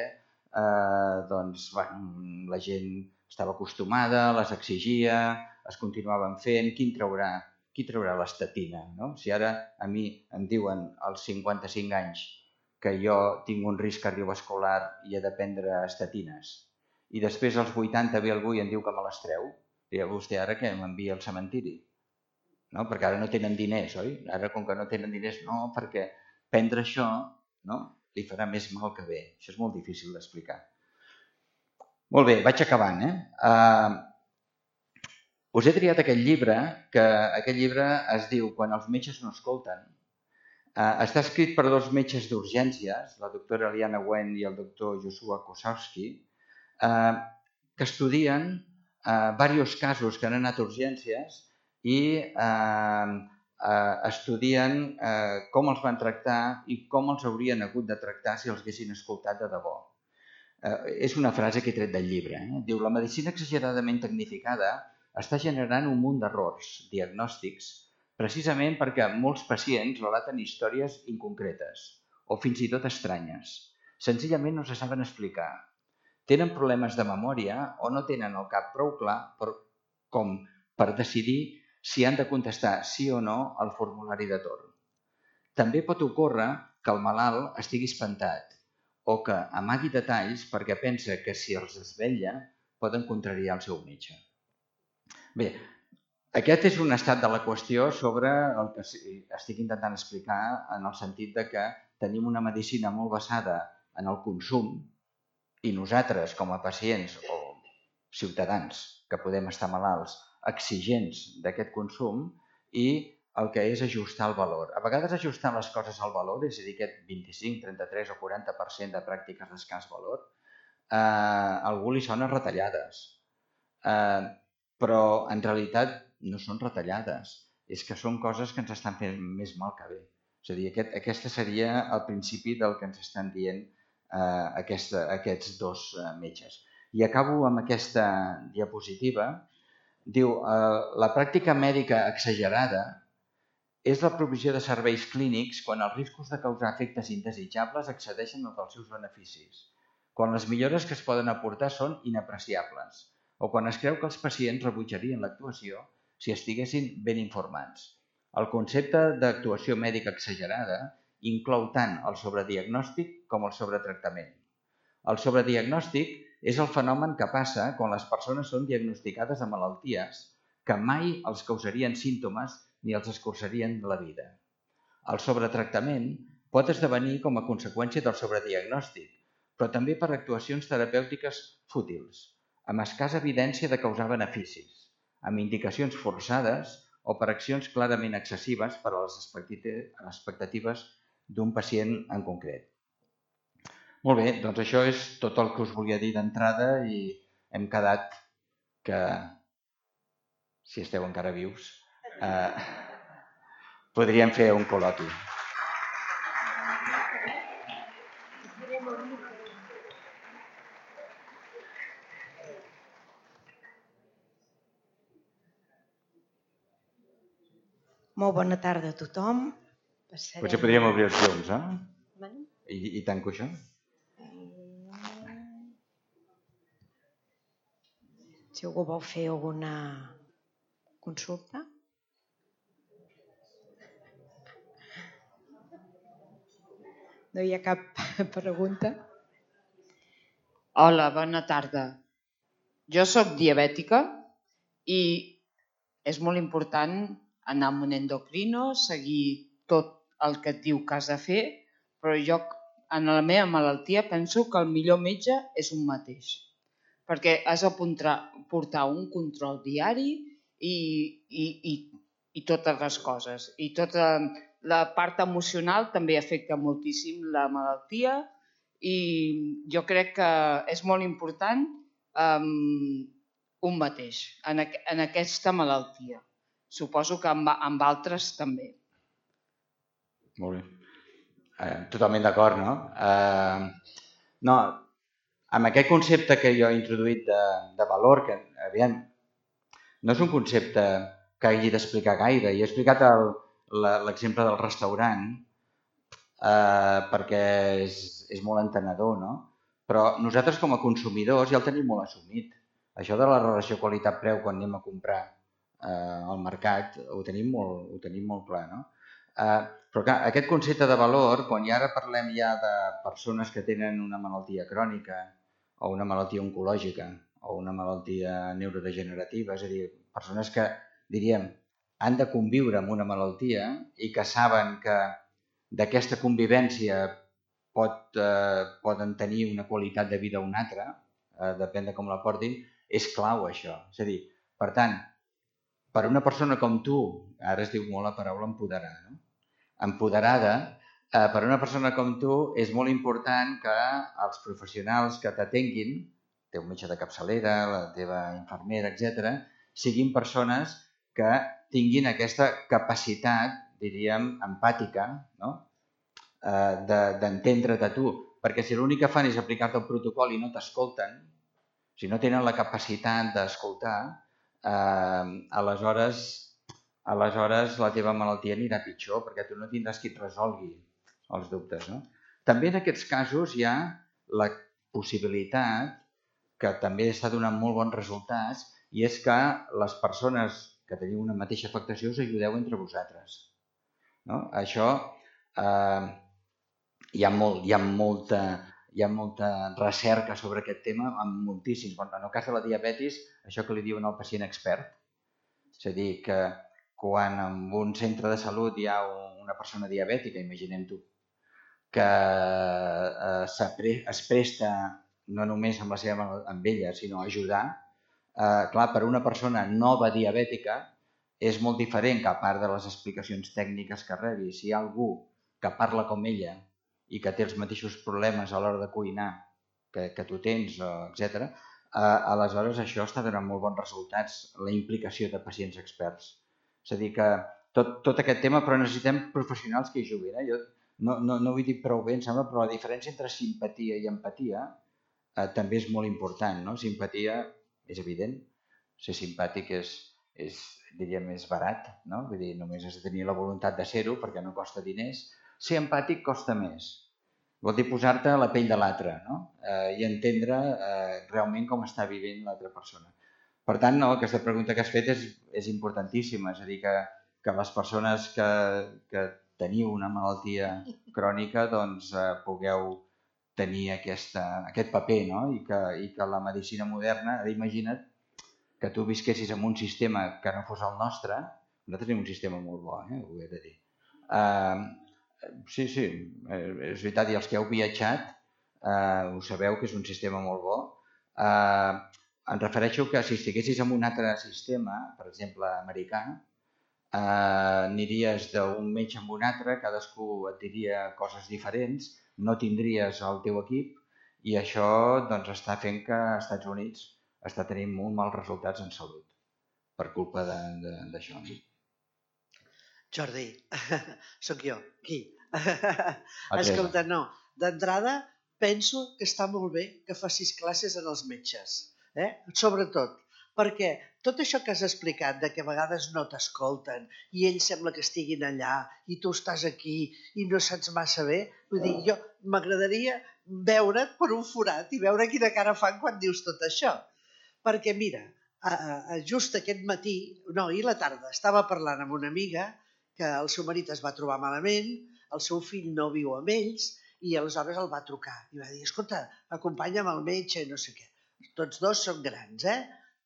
la gent estava acostumada, les exigia, es continuaven fent. Qui traurà l'estatina? No? Si ara a mi em diuen als 55 anys que jo tinc un risc cardiovascular i he de prendre estatines, i després als 80 ve algú i em diu que me les treu, dirà vostè ara que m'envia al cementiri. No? Perquè ara no tenen diners, oi? Ara, com que no tenen diners, no, perquè prendre això, no, li farà més mal que bé. Això és molt difícil d'explicar. Molt bé, vaig acabant. Us he triat aquest llibre, que aquest llibre es diu Quan els metges no escolten. Està escrit per dos metges d'urgències, la doctora Eliana Wen i el doctor Joshua Kosowski, que estudien diversos casos que han anat a urgències i estudien com els van tractar i com els haurien hagut de tractar si els haguessin escoltat de debò. És una frase que he tret del llibre. Diu, la medicina exageradament tecnificada està generant un munt d'errors diagnòstics precisament perquè molts pacients relaten històries inconcretes o fins i tot estranyes. Senzillament no se saben explicar. Tenen problemes de memòria o no tenen el cap prou clar com per decidir si han de contestar sí o no al formulari de torn. També pot ocórrer que el malalt estigui espantat o que amagui detalls perquè pensa que si els desvetlla poden contrariar el seu metge. Bé, aquest és un estat de la qüestió sobre el que estic intentant explicar en el sentit de que tenim una medicina molt basada en el consum i nosaltres, com a pacients o ciutadans que podem estar malalts, exigents d'aquest consum i el que és ajustar el valor. A vegades ajustar les coses al valor, és a dir, aquest 25, 33 o 40% de pràctiques d'escàs valor, a algú li sona retallades. Però en realitat no són retallades, és que són coses que ens estan fent més mal que bé. És a dir, aquest seria el principi del que ens estan dient aquests dos metges. I acabo amb aquesta diapositiva. Diu, la pràctica mèdica exagerada és la provisió de serveis clínics quan els riscos de causar efectes indesitjables excedeixen els dels seus beneficis, quan les millores que es poden aportar són inapreciables, o quan es creu que els pacients rebutjarien l'actuació si estiguessin ben informats. El concepte d'actuació mèdica exagerada inclou tant el sobrediagnòstic com el sobretractament. El sobrediagnòstic és el fenomen que passa quan les persones són diagnosticades amb malalties que mai els causarien símptomes ni els escurçarien la vida. El sobretractament pot esdevenir com a conseqüència del sobrediagnòstic, però també per actuacions terapèutiques fútils, amb escassa evidència de causar beneficis, amb indicacions forçades o per accions clarament excessives per a les expectatives d'un pacient en concret. Molt bé, doncs això és tot el que us volia dir d'entrada i hem quedat que, si esteu encara vius, podríem fer un col·loqui. Molt bona tarda a tothom. Potser podríem obrir els llums, I tanco això? Si algú vol fer alguna consulta. No hi ha cap pregunta? Hola, bona tarda. Jo sóc diabètica i és molt important anar amb un endocrino, seguir tot el que et diu que has de fer, però jo en la meva malaltia penso que el millor metge és un mateix, perquè has de portar un control diari i totes les coses. I tota la part emocional també afecta moltíssim la malaltia i jo crec que és molt important un mateix en aquesta malaltia. Suposo que amb altres també. Molt bé. Totalment d'acord, no? No, amb aquest concepte que jo he introduït de valor, que aviam, no és un concepte que hagi d'explicar gaire. Jo he explicat l'exemple del restaurant perquè és molt entenedor, no? Però nosaltres com a consumidors ja el tenim molt assumit. Això de la relació qualitat-preu quan anem a comprar al mercat ho tenim molt clar, no? Però clar, aquest concepte de valor, quan ara parlem ja de persones que tenen una malaltia crònica o una malaltia oncològica o una malaltia neurodegenerativa, és a dir, persones que, diríem, han de conviure amb una malaltia i que saben que d'aquesta convivència poden tenir una qualitat de vida o una altra, depèn de com la portin, és clau això. És a dir, per tant, per una persona com tu, ara es diu molt la paraula empoderar, no? Empoderada, per una persona com tu és molt important que els professionals que t'atenguin, el teu metge de capçalera, la teva infermera, etc., siguin persones que tinguin aquesta capacitat, diríem, empàtica, no? D'entendre't a tu. Perquè si l'únic que fan és aplicar-te el protocol i no t'escolten, si no tenen la capacitat d'escoltar, aleshores la teva malaltia anirà pitjor perquè tu no tindràs qui et resolgui els dubtes, no? També en aquests casos hi ha la possibilitat, que també està donant molt bons resultats, i és que les persones que teniu una mateixa afectació us ajudeu entre vosaltres, no? Això hi ha molta recerca sobre aquest tema amb moltíssims. En el cas de la diabetis, això que li diuen al pacient expert, és a dir, que quan en un centre de salut hi ha una persona diabètica, imaginem-t'ho, que es presta no només amb ella, sinó a ajudar, clar, per una persona nova diabètica és molt diferent que a part de les explicacions tècniques que rebi. Si hi ha algú que parla com ella i que té els mateixos problemes a l'hora de cuinar que tu tens, etc., aleshores això està donant molt bons resultats, la implicació de pacients experts. És a dir, que tot aquest tema, però necessitem professionals que hi juguin. Jo no ho he dit prou bé, em sembla, però la diferència entre simpatia i empatia també és molt important, no? Simpatia és evident, ser simpàtic diríem, és barat, no? Vull dir, només has de tenir la voluntat de ser-ho perquè no costa diners. Ser empàtic costa més. Vol dir posar-te a la pell de l'altre, no? I entendre realment com està vivint l'altra persona. Per tant, aquesta pregunta que has fet és importantíssima, és a dir, que les persones que teniu una malaltia crònica doncs pugueu tenir aquest paper, no? I que la medicina moderna, imagina't que tu visquessis en un sistema que no fos el nostre. Nosaltres tenim un sistema molt bo, ho he de dir. Sí, és veritat, i els que heu viatjat ho sabeu que és un sistema molt bo. Em refereixo que si estiguessis en un altre sistema, per exemple, americà, aniries d'un metge amb un altre, cadascú et diria coses diferents, no tindries el teu equip i això doncs, està fent que als Estats Units està tenint molt mals resultats en salut per culpa d'això. Jordi, sóc jo, aquí. Escolta, no, d'entrada penso que està molt bé que facis classes en els metges, sobretot, perquè tot això que has explicat, de que a vegades no t'escolten i ells sembla que estiguin allà i tu estàs aquí i no saps massa bé, vull dir, jo m'agradaria veure't per un forat i veure quina cara fan quan dius tot això. Perquè mira, just aquest matí, no, ahir a la tarda, estava parlant amb una amiga que el seu marit es va trobar malament, el seu fill no viu amb ells i aleshores el va trucar i va dir, escolta, acompanya'm al metge i no sé què. Tots dos són grans,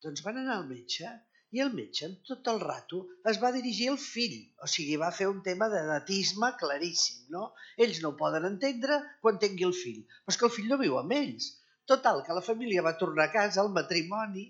Doncs van anar al metge i el metge tot el rato es va dirigir al fill, o sigui, va fer un tema d'edatisme claríssim, no? Ells no ho poden entendre quan tingui el fill, però és que el fill no viu amb ells. Total, que la família va tornar a casa, al matrimoni,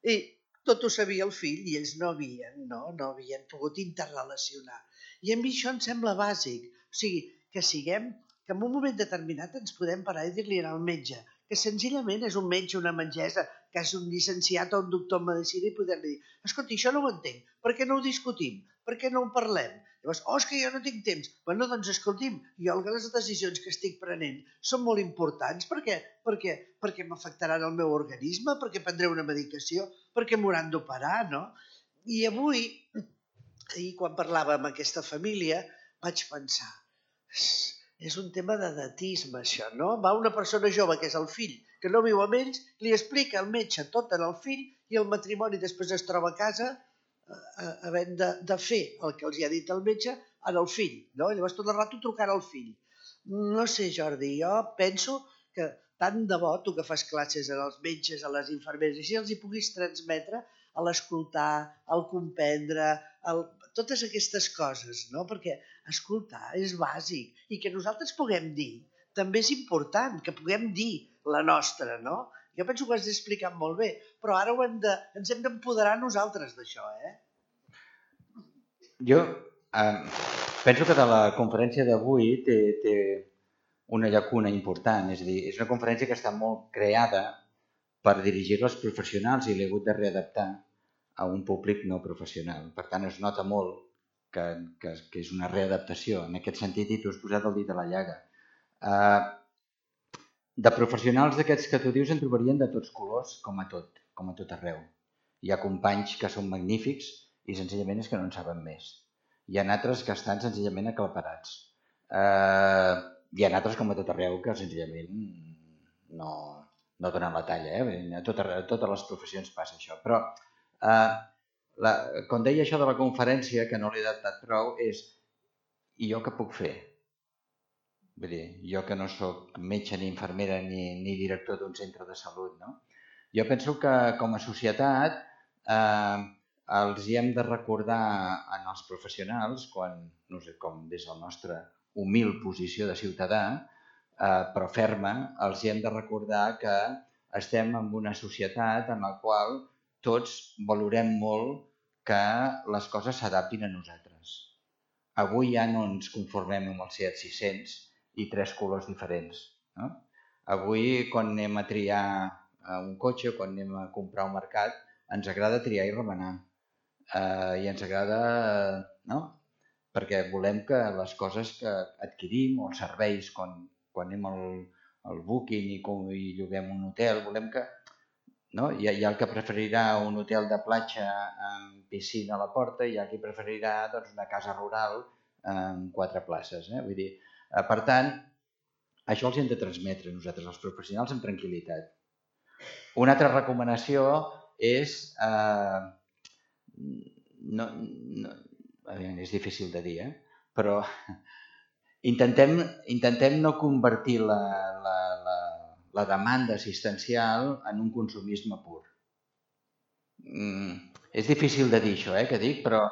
i tot ho sabia el fill i ells no havien pogut interrelacionar. I a mi això em sembla bàsic, o sigui, que en un moment determinat ens podem parar i dir-li al metge que senzillament és un metge, una metgessa, que és un llicenciat o un doctor en medicina i poder-li dir, escolta, això no ho entenc, per què no ho discutim? Per què no ho parlem? Llavors, és que jo no tinc temps. Bueno, doncs escolti'm, jo les decisions que estic prenent són molt importants perquè m'afectaran el meu organisme, perquè prendré una medicació, perquè m'hauran d'operar, no? I avui, ahir quan parlava amb aquesta família, vaig pensar, és un tema d'edatisme, això, no? Va una persona jove, que és el fill, que no viu amb ells, li explica al metge tot en el fill i el matrimoni després es troba a casa havent de fer el que els ha dit el metge en el fill, no? Llavors tot el rato trucant al fill. No sé, Jordi, jo penso que tant de bo tu que fas classes als metges, a les infermeres, així els hi puguis transmetre a l'escoltar, al comprendre, totes aquestes coses, no? Perquè escoltar és bàsic i que nosaltres puguem dir també és important, que puguem dir la nostra, no? Jo penso que ho has explicat molt bé, però ara ens hem d'empoderar nosaltres d'això, Jo penso que de la conferència d'avui té una llacuna important, és a dir, és una conferència que està molt creada per dirigir-la als professionals i l'he hagut de readaptar a un públic no professional. Per tant, es nota molt que és una readaptació en aquest sentit i tu has posat el dit a la llaga. De professionals d'aquests que tu dius en trobarien de tots colors, com a tot arreu. Hi ha companys que són magnífics i senzillament és que no en saben més. Hi ha altres que estan senzillament aclaparats. Hi ha altres, com a tot arreu, que senzillament no donen la talla. A totes les professions passa això. Però, quan deia això de la conferència, que no l'he adaptat prou, és i jo què puc fer? Vull dir, jo que no soc metge ni infermera ni director d'un centre de salut, no? Jo penso que com a societat els hi hem de recordar als professionals, no sé com des de la nostra humil posició de ciutadà, però ferma, els hi hem de recordar que estem en una societat en la qual tots valorem molt que les coses s'adaptin a nosaltres. Avui ja no ens conformem amb el Seat 600 i 3 colors diferents. No? Avui, quan anem a triar un cotxe, quan anem a comprar un mercat, ens agrada triar i remenar. I ens agrada, no? Perquè volem que les coses que adquirim o els serveis, quan anem al Booking i lloguem un hotel, volem que... No? Hi ha el que preferirà un hotel de platja amb piscina a la porta i hi ha qui preferirà una casa rural amb 4 places. Vull dir, per tant, això els hem de transmetre nosaltres, els professionals, amb tranquil·litat. Una altra recomanació és... és difícil de dir, però intentem no convertir la demanda assistencial en un consumisme pur. És difícil de dir això, que dic, però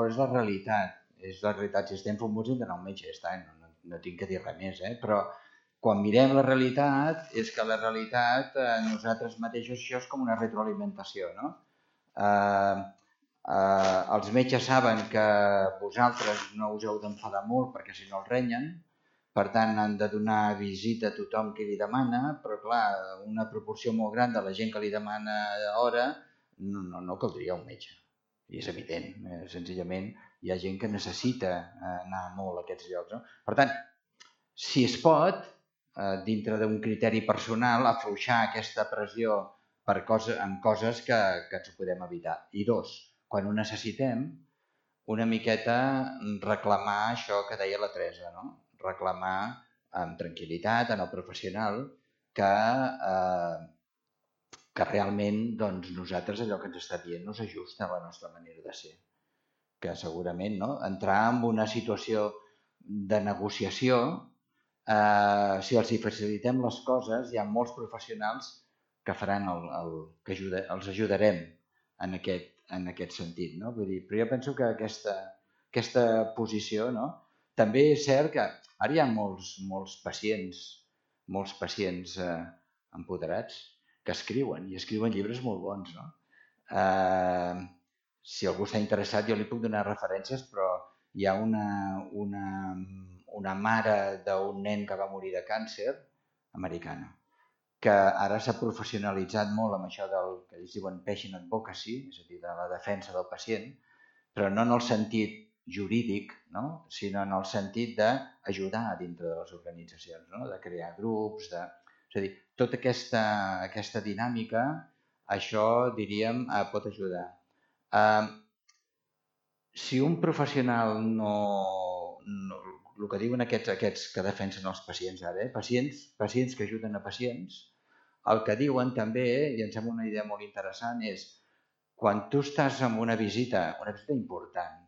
és la realitat. És la realitat. Si estem famosos hem d'anar a un metge, ja està, no tinc que dir res més, però quan mirem la realitat, és que la realitat, nosaltres mateixos, això és com una retroalimentació, no? Els metges saben que vosaltres no us heu d'enfadar molt perquè si no els renyen, per tant han de donar visita a tothom que li demana, però clar, una proporció molt gran de la gent que li demana hora no caldria un metge. I és evident, senzillament hi ha gent que necessita anar molt a aquests llocs. No? Per tant, si es pot, dintre d'un criteri personal, afluixar aquesta pressió en coses que ens ho podem evitar. I 2, quan ho necessitem, una miqueta reclamar això que deia la Teresa, no? Reclamar amb tranquil·litat en el professional que realment nosaltres allò que ens està dient no s'ajusta a la nostra manera de ser. Que segurament entrar en una situació de negociació, si els facilitem les coses, hi ha molts professionals que faran que els ajudarem en aquest sentit. No? Vull dir, però jo penso que aquesta posició, també és cert que ara hi ha molts pacients empoderats que escriuen llibres molt bons. No? Si algú està interessat, jo li puc donar referències, però hi ha una mare d'un nen que va morir de càncer, americana, que ara s'ha professionalitzat molt amb això del que ells diuen patient advocacy, és a dir, de la defensa del pacient, però no en el sentit jurídic, no? Sinó en el sentit d'ajudar dintre de les organitzacions, no? De crear grups, és a dir, tota aquesta dinàmica, això, diríem, pot ajudar. Si un professional el que diuen aquests que defensen els pacients ara, pacients que ajuden a pacients, el que diuen també, i em sembla una idea molt interessant, és quan tu estàs en una visita important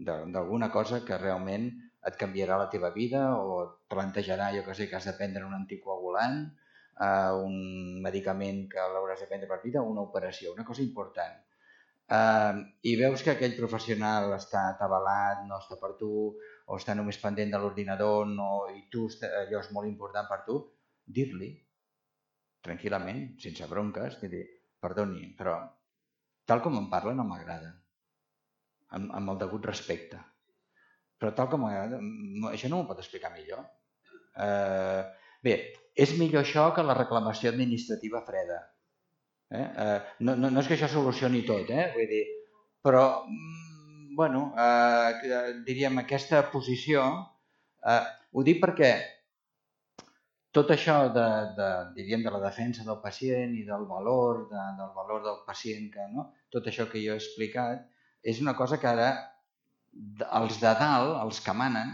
d'alguna cosa que realment et canviarà la teva vida o et plantejarà, jo que sé, que has de prendre un anticoagulant, un medicament que l'hauràs de prendre per vida, una operació, una cosa important. I veus que aquell professional està atabalat, no està per tu, o està només pendent de l'ordinador, i tu allò és molt important per tu, dir-li tranquil·lament, sense bronques, dir-li, perdoni, però tal com em parla no m'agrada, amb el degut respecte. Però tal com m'agrada, això no m'ho pot explicar millor. Bé, és millor això que la reclamació administrativa freda. No és que això solucioni tot, vull dir, però, bueno, diríem, aquesta posició, ho dic perquè tot això diríem, de la defensa del pacient i del valor del pacient, tot això que jo he explicat, és una cosa que ara els de dalt, els que manen,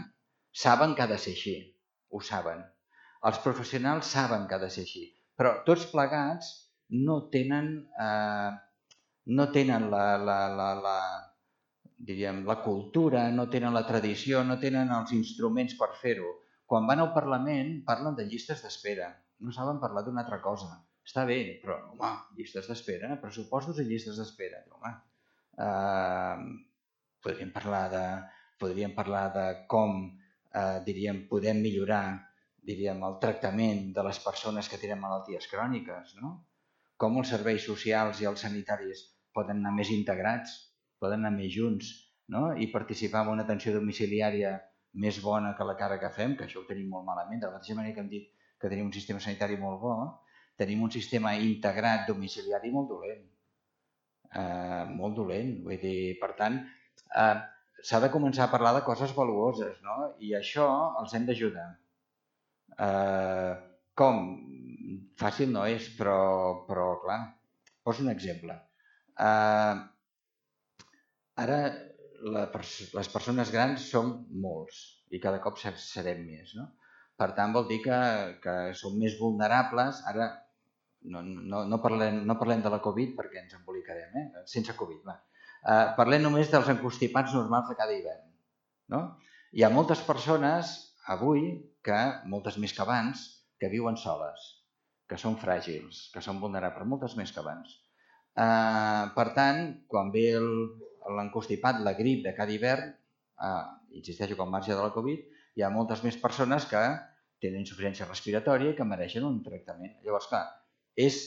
saben que ha de ser així, ho saben. Els professionals saben que ha de ser així, però tots plegats no tenen la cultura, no tenen la tradició, no tenen els instruments per fer-ho. Quan van al Parlament parlen de llistes d'espera, no saben parlar d'una altra cosa. Està bé, però, home, llistes d'espera, pressupostos i llistes d'espera. Podríem parlar de com, diríem, podem millorar, diríem, el tractament de les persones que tenen malalties cròniques, no? Com els serveis socials i els sanitaris poden anar més integrats, poden anar més junts, no? I participar en una atenció domiciliària més bona que la cara que fem, que això ho tenim molt malament. De la mateixa manera que hem dit que tenim un sistema sanitari molt bo, tenim un sistema integrat domiciliari molt dolent. Molt dolent. Vull dir, per tant, s'ha de començar a parlar de coses valuoses, no? I això els hem d'ajudar. Com? Fàcil no és, però clar, poso un exemple. Ara les persones grans som molts i cada cop serem més, no? Per tant, vol dir que som més vulnerables. Ara no parlem de la Covid perquè ens embolicarem, sense Covid, va. Parlem només dels encostipats normals de cada hivern, no? Hi ha moltes persones avui, moltes més que abans, que viuen soles, que són fràgils, que són vulnerables, moltes més que abans. Per tant, quan ve l'encostipat, la grip de cada hivern, insisteixo que al marge de la Covid, hi ha moltes més persones que tenen insuficiència respiratòria i que mereixen un tractament. Llavors, clar, és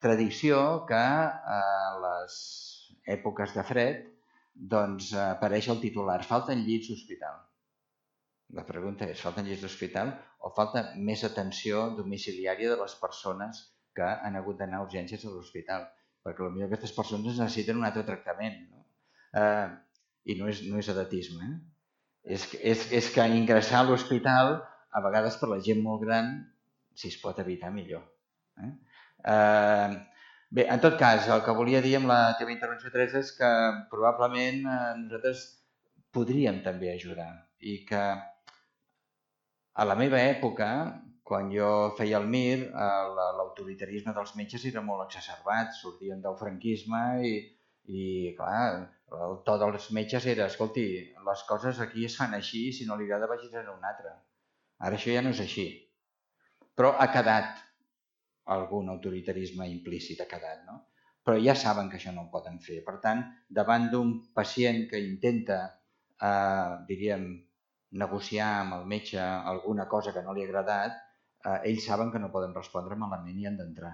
tradició que a les èpoques de fred doncs apareix el titular, falten llits d'hospital. La pregunta és, falten llits d'hospital o falta més atenció domiciliària de les persones que han hagut d'anar a urgències a l'hospital? Perquè potser aquestes persones necessiten un altre tractament, no? I no és edatisme. És que ingressar a l'hospital, a vegades per la gent molt gran, si es pot evitar millor. Bé, en tot cas, el que volia dir amb la teva intervenció, Teresa, és que probablement nosaltres podríem també ajudar i que a la meva època, quan jo feia el MIR, l'autoritarisme dels metges era molt exacerbat, sortien del franquisme i clar, el to dels metges era, escolti, les coses aquí es fan així i si no li agrada vagis a un altre. Ara això ja no és així. Però ha quedat algun autoritarisme implícit, ha quedat, no? Però ja saben que això no ho poden fer. Per tant, davant d'un pacient que intenta, diríem, negociar amb el metge alguna cosa que no li ha agradat, ells saben que no poden respondre malament i han d'entrar.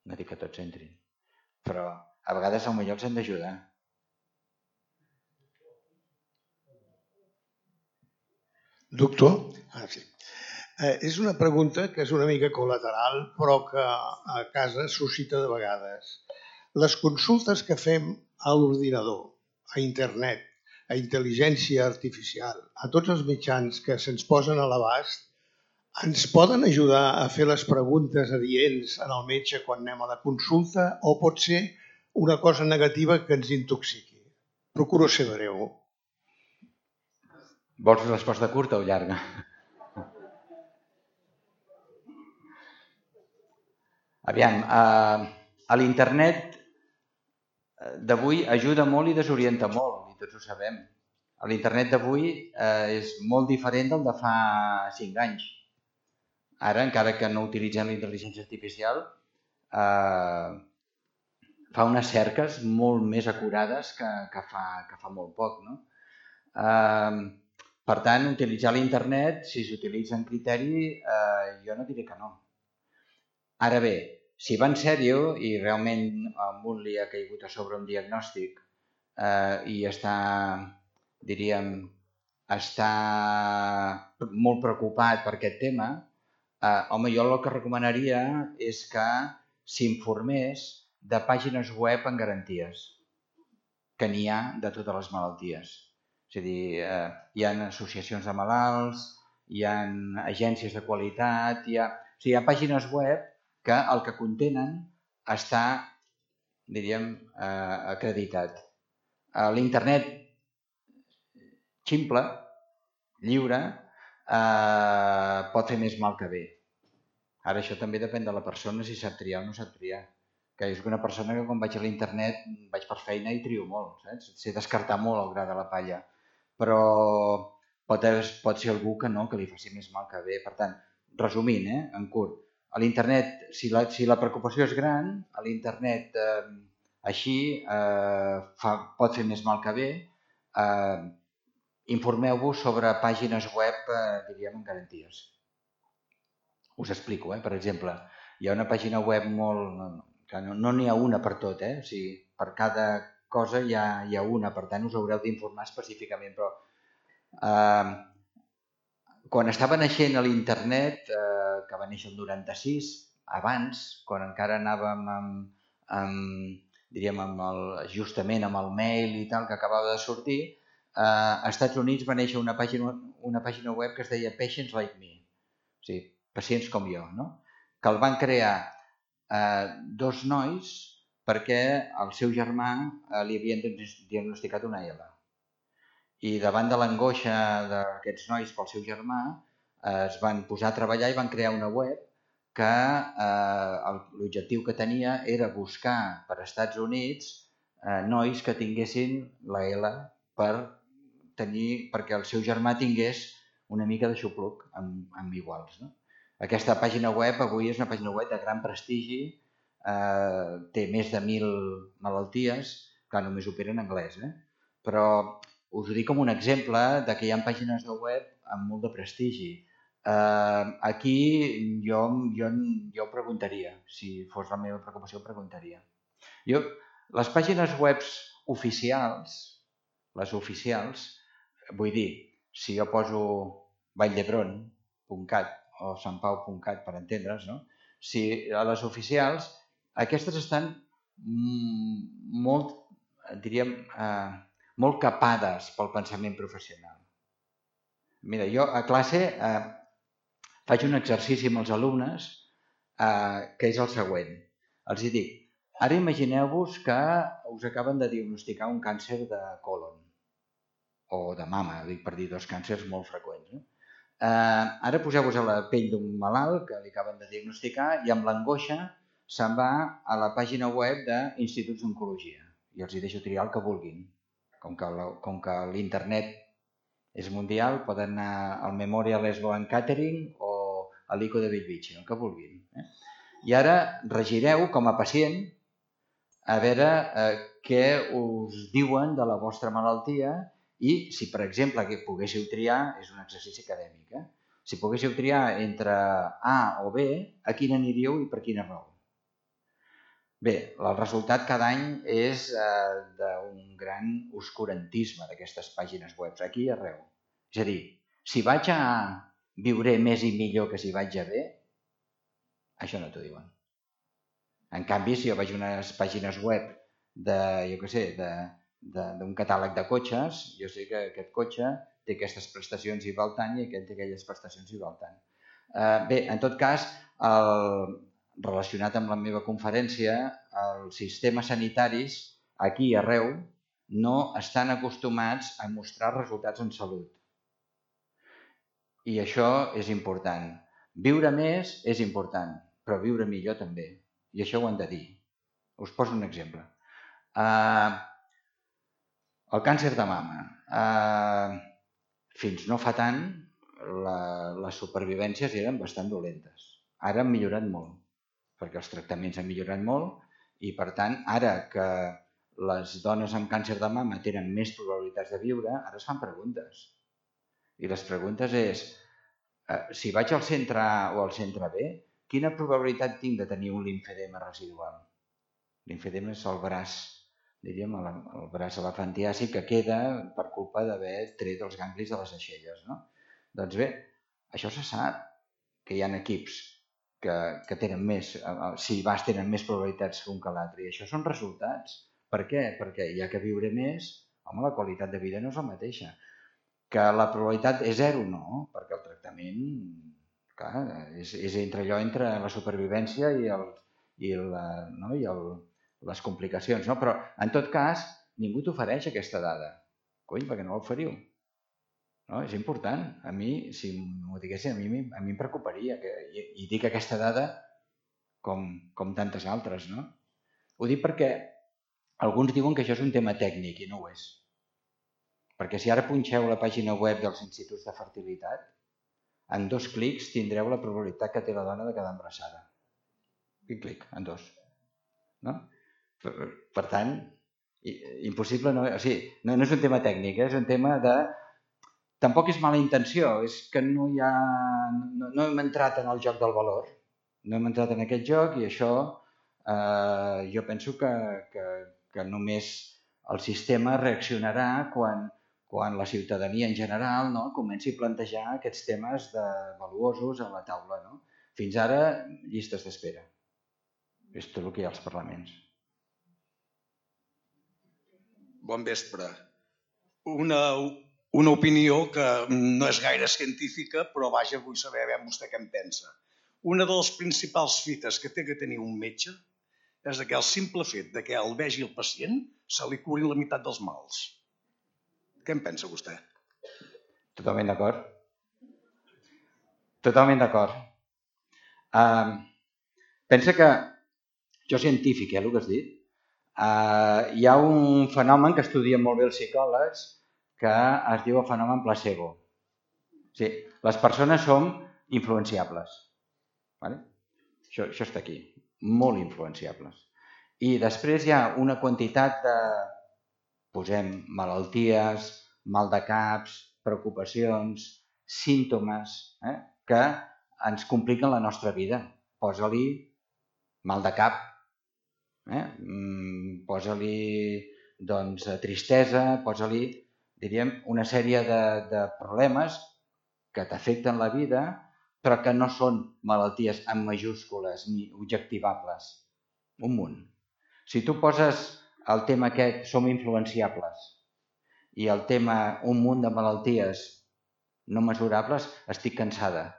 No dic que tots entrin, però a vegades potser els hem d'ajudar. Doctor, sí. És una pregunta que és una mica col·lateral, però que a casa suscita de vegades. Les consultes que fem a l'ordinador, a internet, a intel·ligència artificial, a tots els mitjans que se'ns posen a l'abast, ens poden ajudar a fer les preguntes adients en el metge quan anem a la consulta o pot ser una cosa negativa que ens intoxiqui? Procuro ser breu. Vols resposta curta o llarga? Aviam, a l'internet d'avui ajuda molt i desorienta molt, i tots ho sabem. L'internet d'avui és molt diferent del de fa 5 anys. Ara, encara que no utilitzem la intel·ligència artificial, fa unes cerques molt més acurades que fa molt poc. No? Per tant, utilitzar l'internet, si s'utilitza en criteri, jo no diré que no. Ara bé, si va en sèrio i realment a un li ha caigut a sobre un diagnòstic i està molt preocupat per aquest tema, home, jo el que recomanaria és que s'informés de pàgines web en garanties, que n'hi ha de totes les malalties. És a dir, hi ha associacions de malalts, hi ha agències de qualitat, hi ha pàgines web que el que contenen està, diríem, acreditat. L'internet ximple, lliure, pot fer més mal que bé. Ara això també depèn de la persona si sap triar o no sap triar. Que és una persona que quan vaig a l'internet vaig per feina i trio molt, saps? Sé descartar molt el gra de la palla, però pot ser algú que no, que li faci més mal que bé. Per tant, resumint, en curt, a l'internet, si la preocupació és gran, a l'internet així pot fer més mal que bé. Informeu-vos sobre pàgines web, diríem, en garanties. Us explico, per exemple, hi ha una pàgina web molt... No n'hi ha una per tot, o sigui, per cada cosa hi ha una, per tant us haureu d'informar específicament, però quan estava naixent a l'internet, que va néixer el 96, abans, quan encara anàvem justament amb el mail i tal, que acabava de sortir, als Estats Units va néixer una pàgina web que es deia Patients Like Me, o sigui, pacients com jo, no? Que el van crear 2 nois perquè al seu germà li havien diagnosticat una ELA. I davant de l'angoixa d'aquests nois pel seu germà es van posar a treballar i van crear una web que l'objectiu que tenia era buscar per Estats Units nois que tinguessin la ELA perquè el seu germà tingués una mica de xupluc amb iguals. No? Aquesta pàgina web avui és una pàgina web de gran prestigi, té més de 1.000 malalties, que només opera en anglès, però us ho dic com un exemple de que hi ha pàgines de web amb molt de prestigi. Aquí jo ho preguntaria, si fos la meva preocupació ho preguntaria. Les pàgines web oficials, les oficials, vull dir, si jo poso valldebron.cat o santpau.cat per entendre's, no? Si a les oficials, aquestes estan molt, diríem, molt capades pel pensament professional. Mira, jo a classe faig un exercici amb els alumnes que és el següent. Els dic, ara imagineu-vos que us acaben de diagnosticar un càncer de colon o de mama, dic per dir 2 càncers molt freqüents. Ara poseu-vos a la pell d'un malalt que li acaben de diagnosticar i amb l'angoixa se'n va a la pàgina web d'instituts d'oncologia i els deixo triar el que vulguin. Com que l'internet és mundial, poden anar al Memorial Sloan Kettering o a l'ICO de Bellvitge, el que vulguin. I ara regireu com a pacient a veure què us diuen de la vostra malaltia i si, per exemple, poguéssiu triar, és un exercici acadèmic, si poguéssiu triar entre A o B, a quina aniríeu i per quina raó? Bé, el resultat cada any és d'un gran oscurantisme d'aquestes pàgines web, aquí i arreu. És a dir, si vaig a A viuré més i millor que si vaig a bé, això no t'ho diuen. En canvi, si jo vaig a unes pàgines web d'un catàleg de cotxes, jo sé que aquest cotxe té aquestes prestacions i val tant i aquest té aquelles prestacions i val tant. Bé, en tot cas, relacionat amb la meva conferència, els sistemes sanitaris aquí i arreu no estan acostumats a mostrar resultats en salut. I això és important. Viure més és important, però viure millor també. I això ho han de dir. Us poso un exemple. El càncer de mama. Fins no fa tant, les supervivències eren bastant dolentes. Ara han millorat molt, perquè els tractaments han millorat molt i, per tant, ara que les dones amb càncer de mama tenen més probabilitats de viure, ara es fan preguntes. I les preguntes és, si vaig al centre A o al centre B, quina probabilitat tinc de tenir un limfedema residual? Limfedema és el braç, diríem, el braç elefantiàsic que queda per culpa d'haver tret els ganglis de les aixelles. Doncs bé, això se sap que hi ha equips que tenen més, si vas tenen més probabilitats que un que l'altre. I això són resultats. Per què? Perquè ja que viure més, home, la qualitat de vida no és la mateixa. Que la probabilitat és zero, no, perquè el tractament, clar, és entre la supervivència i les complicacions, no? Però, en tot cas, ningú t'ofereix aquesta dada. Cony, perquè no l'oferiu? No, és important. A mi, si m'ho diguessin, a mi em preocuparia i dic aquesta dada com tantes altres, no? Ho dic perquè alguns diuen que això és un tema tècnic i no ho és. Perquè si ara punxeu la pàgina web dels instituts de fertilitat, en 2 clics tindreu la probabilitat que té la dona de quedar embarassada. Un clic, en 2. No? Per tant, impossible no... O sigui, no és un tema tècnic, és un tema de... Tampoc és mala intenció, és que no hem entrat en el joc del valor. No hem entrat en aquest joc i això jo penso que només el sistema reaccionarà quan la ciutadania en general comenci a plantejar aquests temes valuosos a la taula. Fins ara, llistes d'espera. És tot el que hi ha als parlaments. Bon vespre. Una opinió que no és gaire científica, però vaja, vull saber vostè què en pensa. Una de les principals fites que té que tenir un metge és que el simple fet que el vegi el pacient se li curin la meitat dels mals. Què en pensa vostè? Totalment d'acord. Totalment d'acord. Pensa que, això és científic, el que has dit, hi ha un fenomen que estudien molt bé els psicòlegs que es diu el fenomen placebo. Sí, les persones som influenciables. Això està aquí, molt influenciables. I després hi ha una quantitat de, posem, malalties, mal de caps, preocupacions, símptomes que ens compliquen la nostra vida. Posa-li mal de cap, posa-li tristesa, posa-li, diríem, una sèrie de problemes que t'afecten la vida, però que no són malalties en majúscules ni objectivables. Un munt. Si tu poses el tema aquest, som influenciables, i el tema un munt de malalties no mesurables, estic cansada.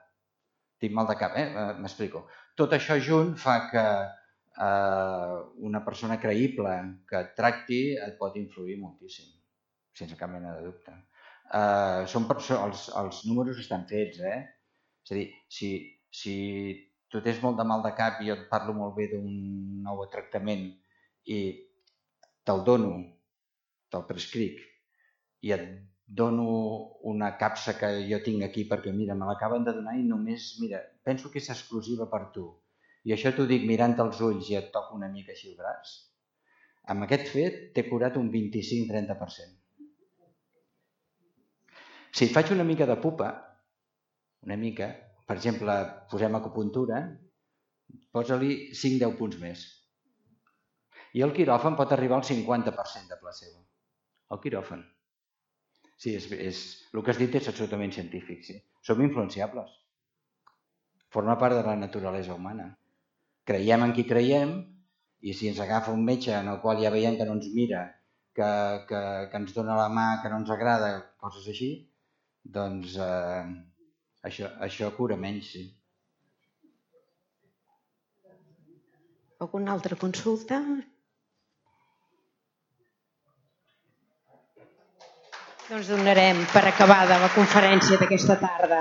Tinc mal de cap, m'explico. Tot això junt fa que una persona creïble que et tracti et pot influir moltíssim, sense cap mena de dubte. Els números estan fets, És a dir, si tu tens molt de mal de cap i jo et parlo molt bé d'un nou tractament i te'l dono, te'l prescric i et dono una capsa que jo tinc aquí perquè, mira, me l'acaben de donar i només, mira, penso que és exclusiva per tu. I això t'ho dic mirant als ulls i et toco una mica així el braç. Amb aquest fet t'he curat un 25-30%. Si et faig una mica de pupa, una mica, per exemple, posem acupuntura, posa-li 5-10 punts més. I el quiròfan pot arribar al 50% de placebo. El quiròfan. Sí, el que has dit és absolutament científic. Sí. Som influenciables. Forma part de la naturalesa humana. Creiem en qui creiem i si ens agafa un metge en el qual ja veiem que no ens mira, que ens dona la mà, que no ens agrada, coses així, doncs això cura menys, sí. Alguna altra consulta? Doncs donarem per acabada la conferència d'aquesta tarda.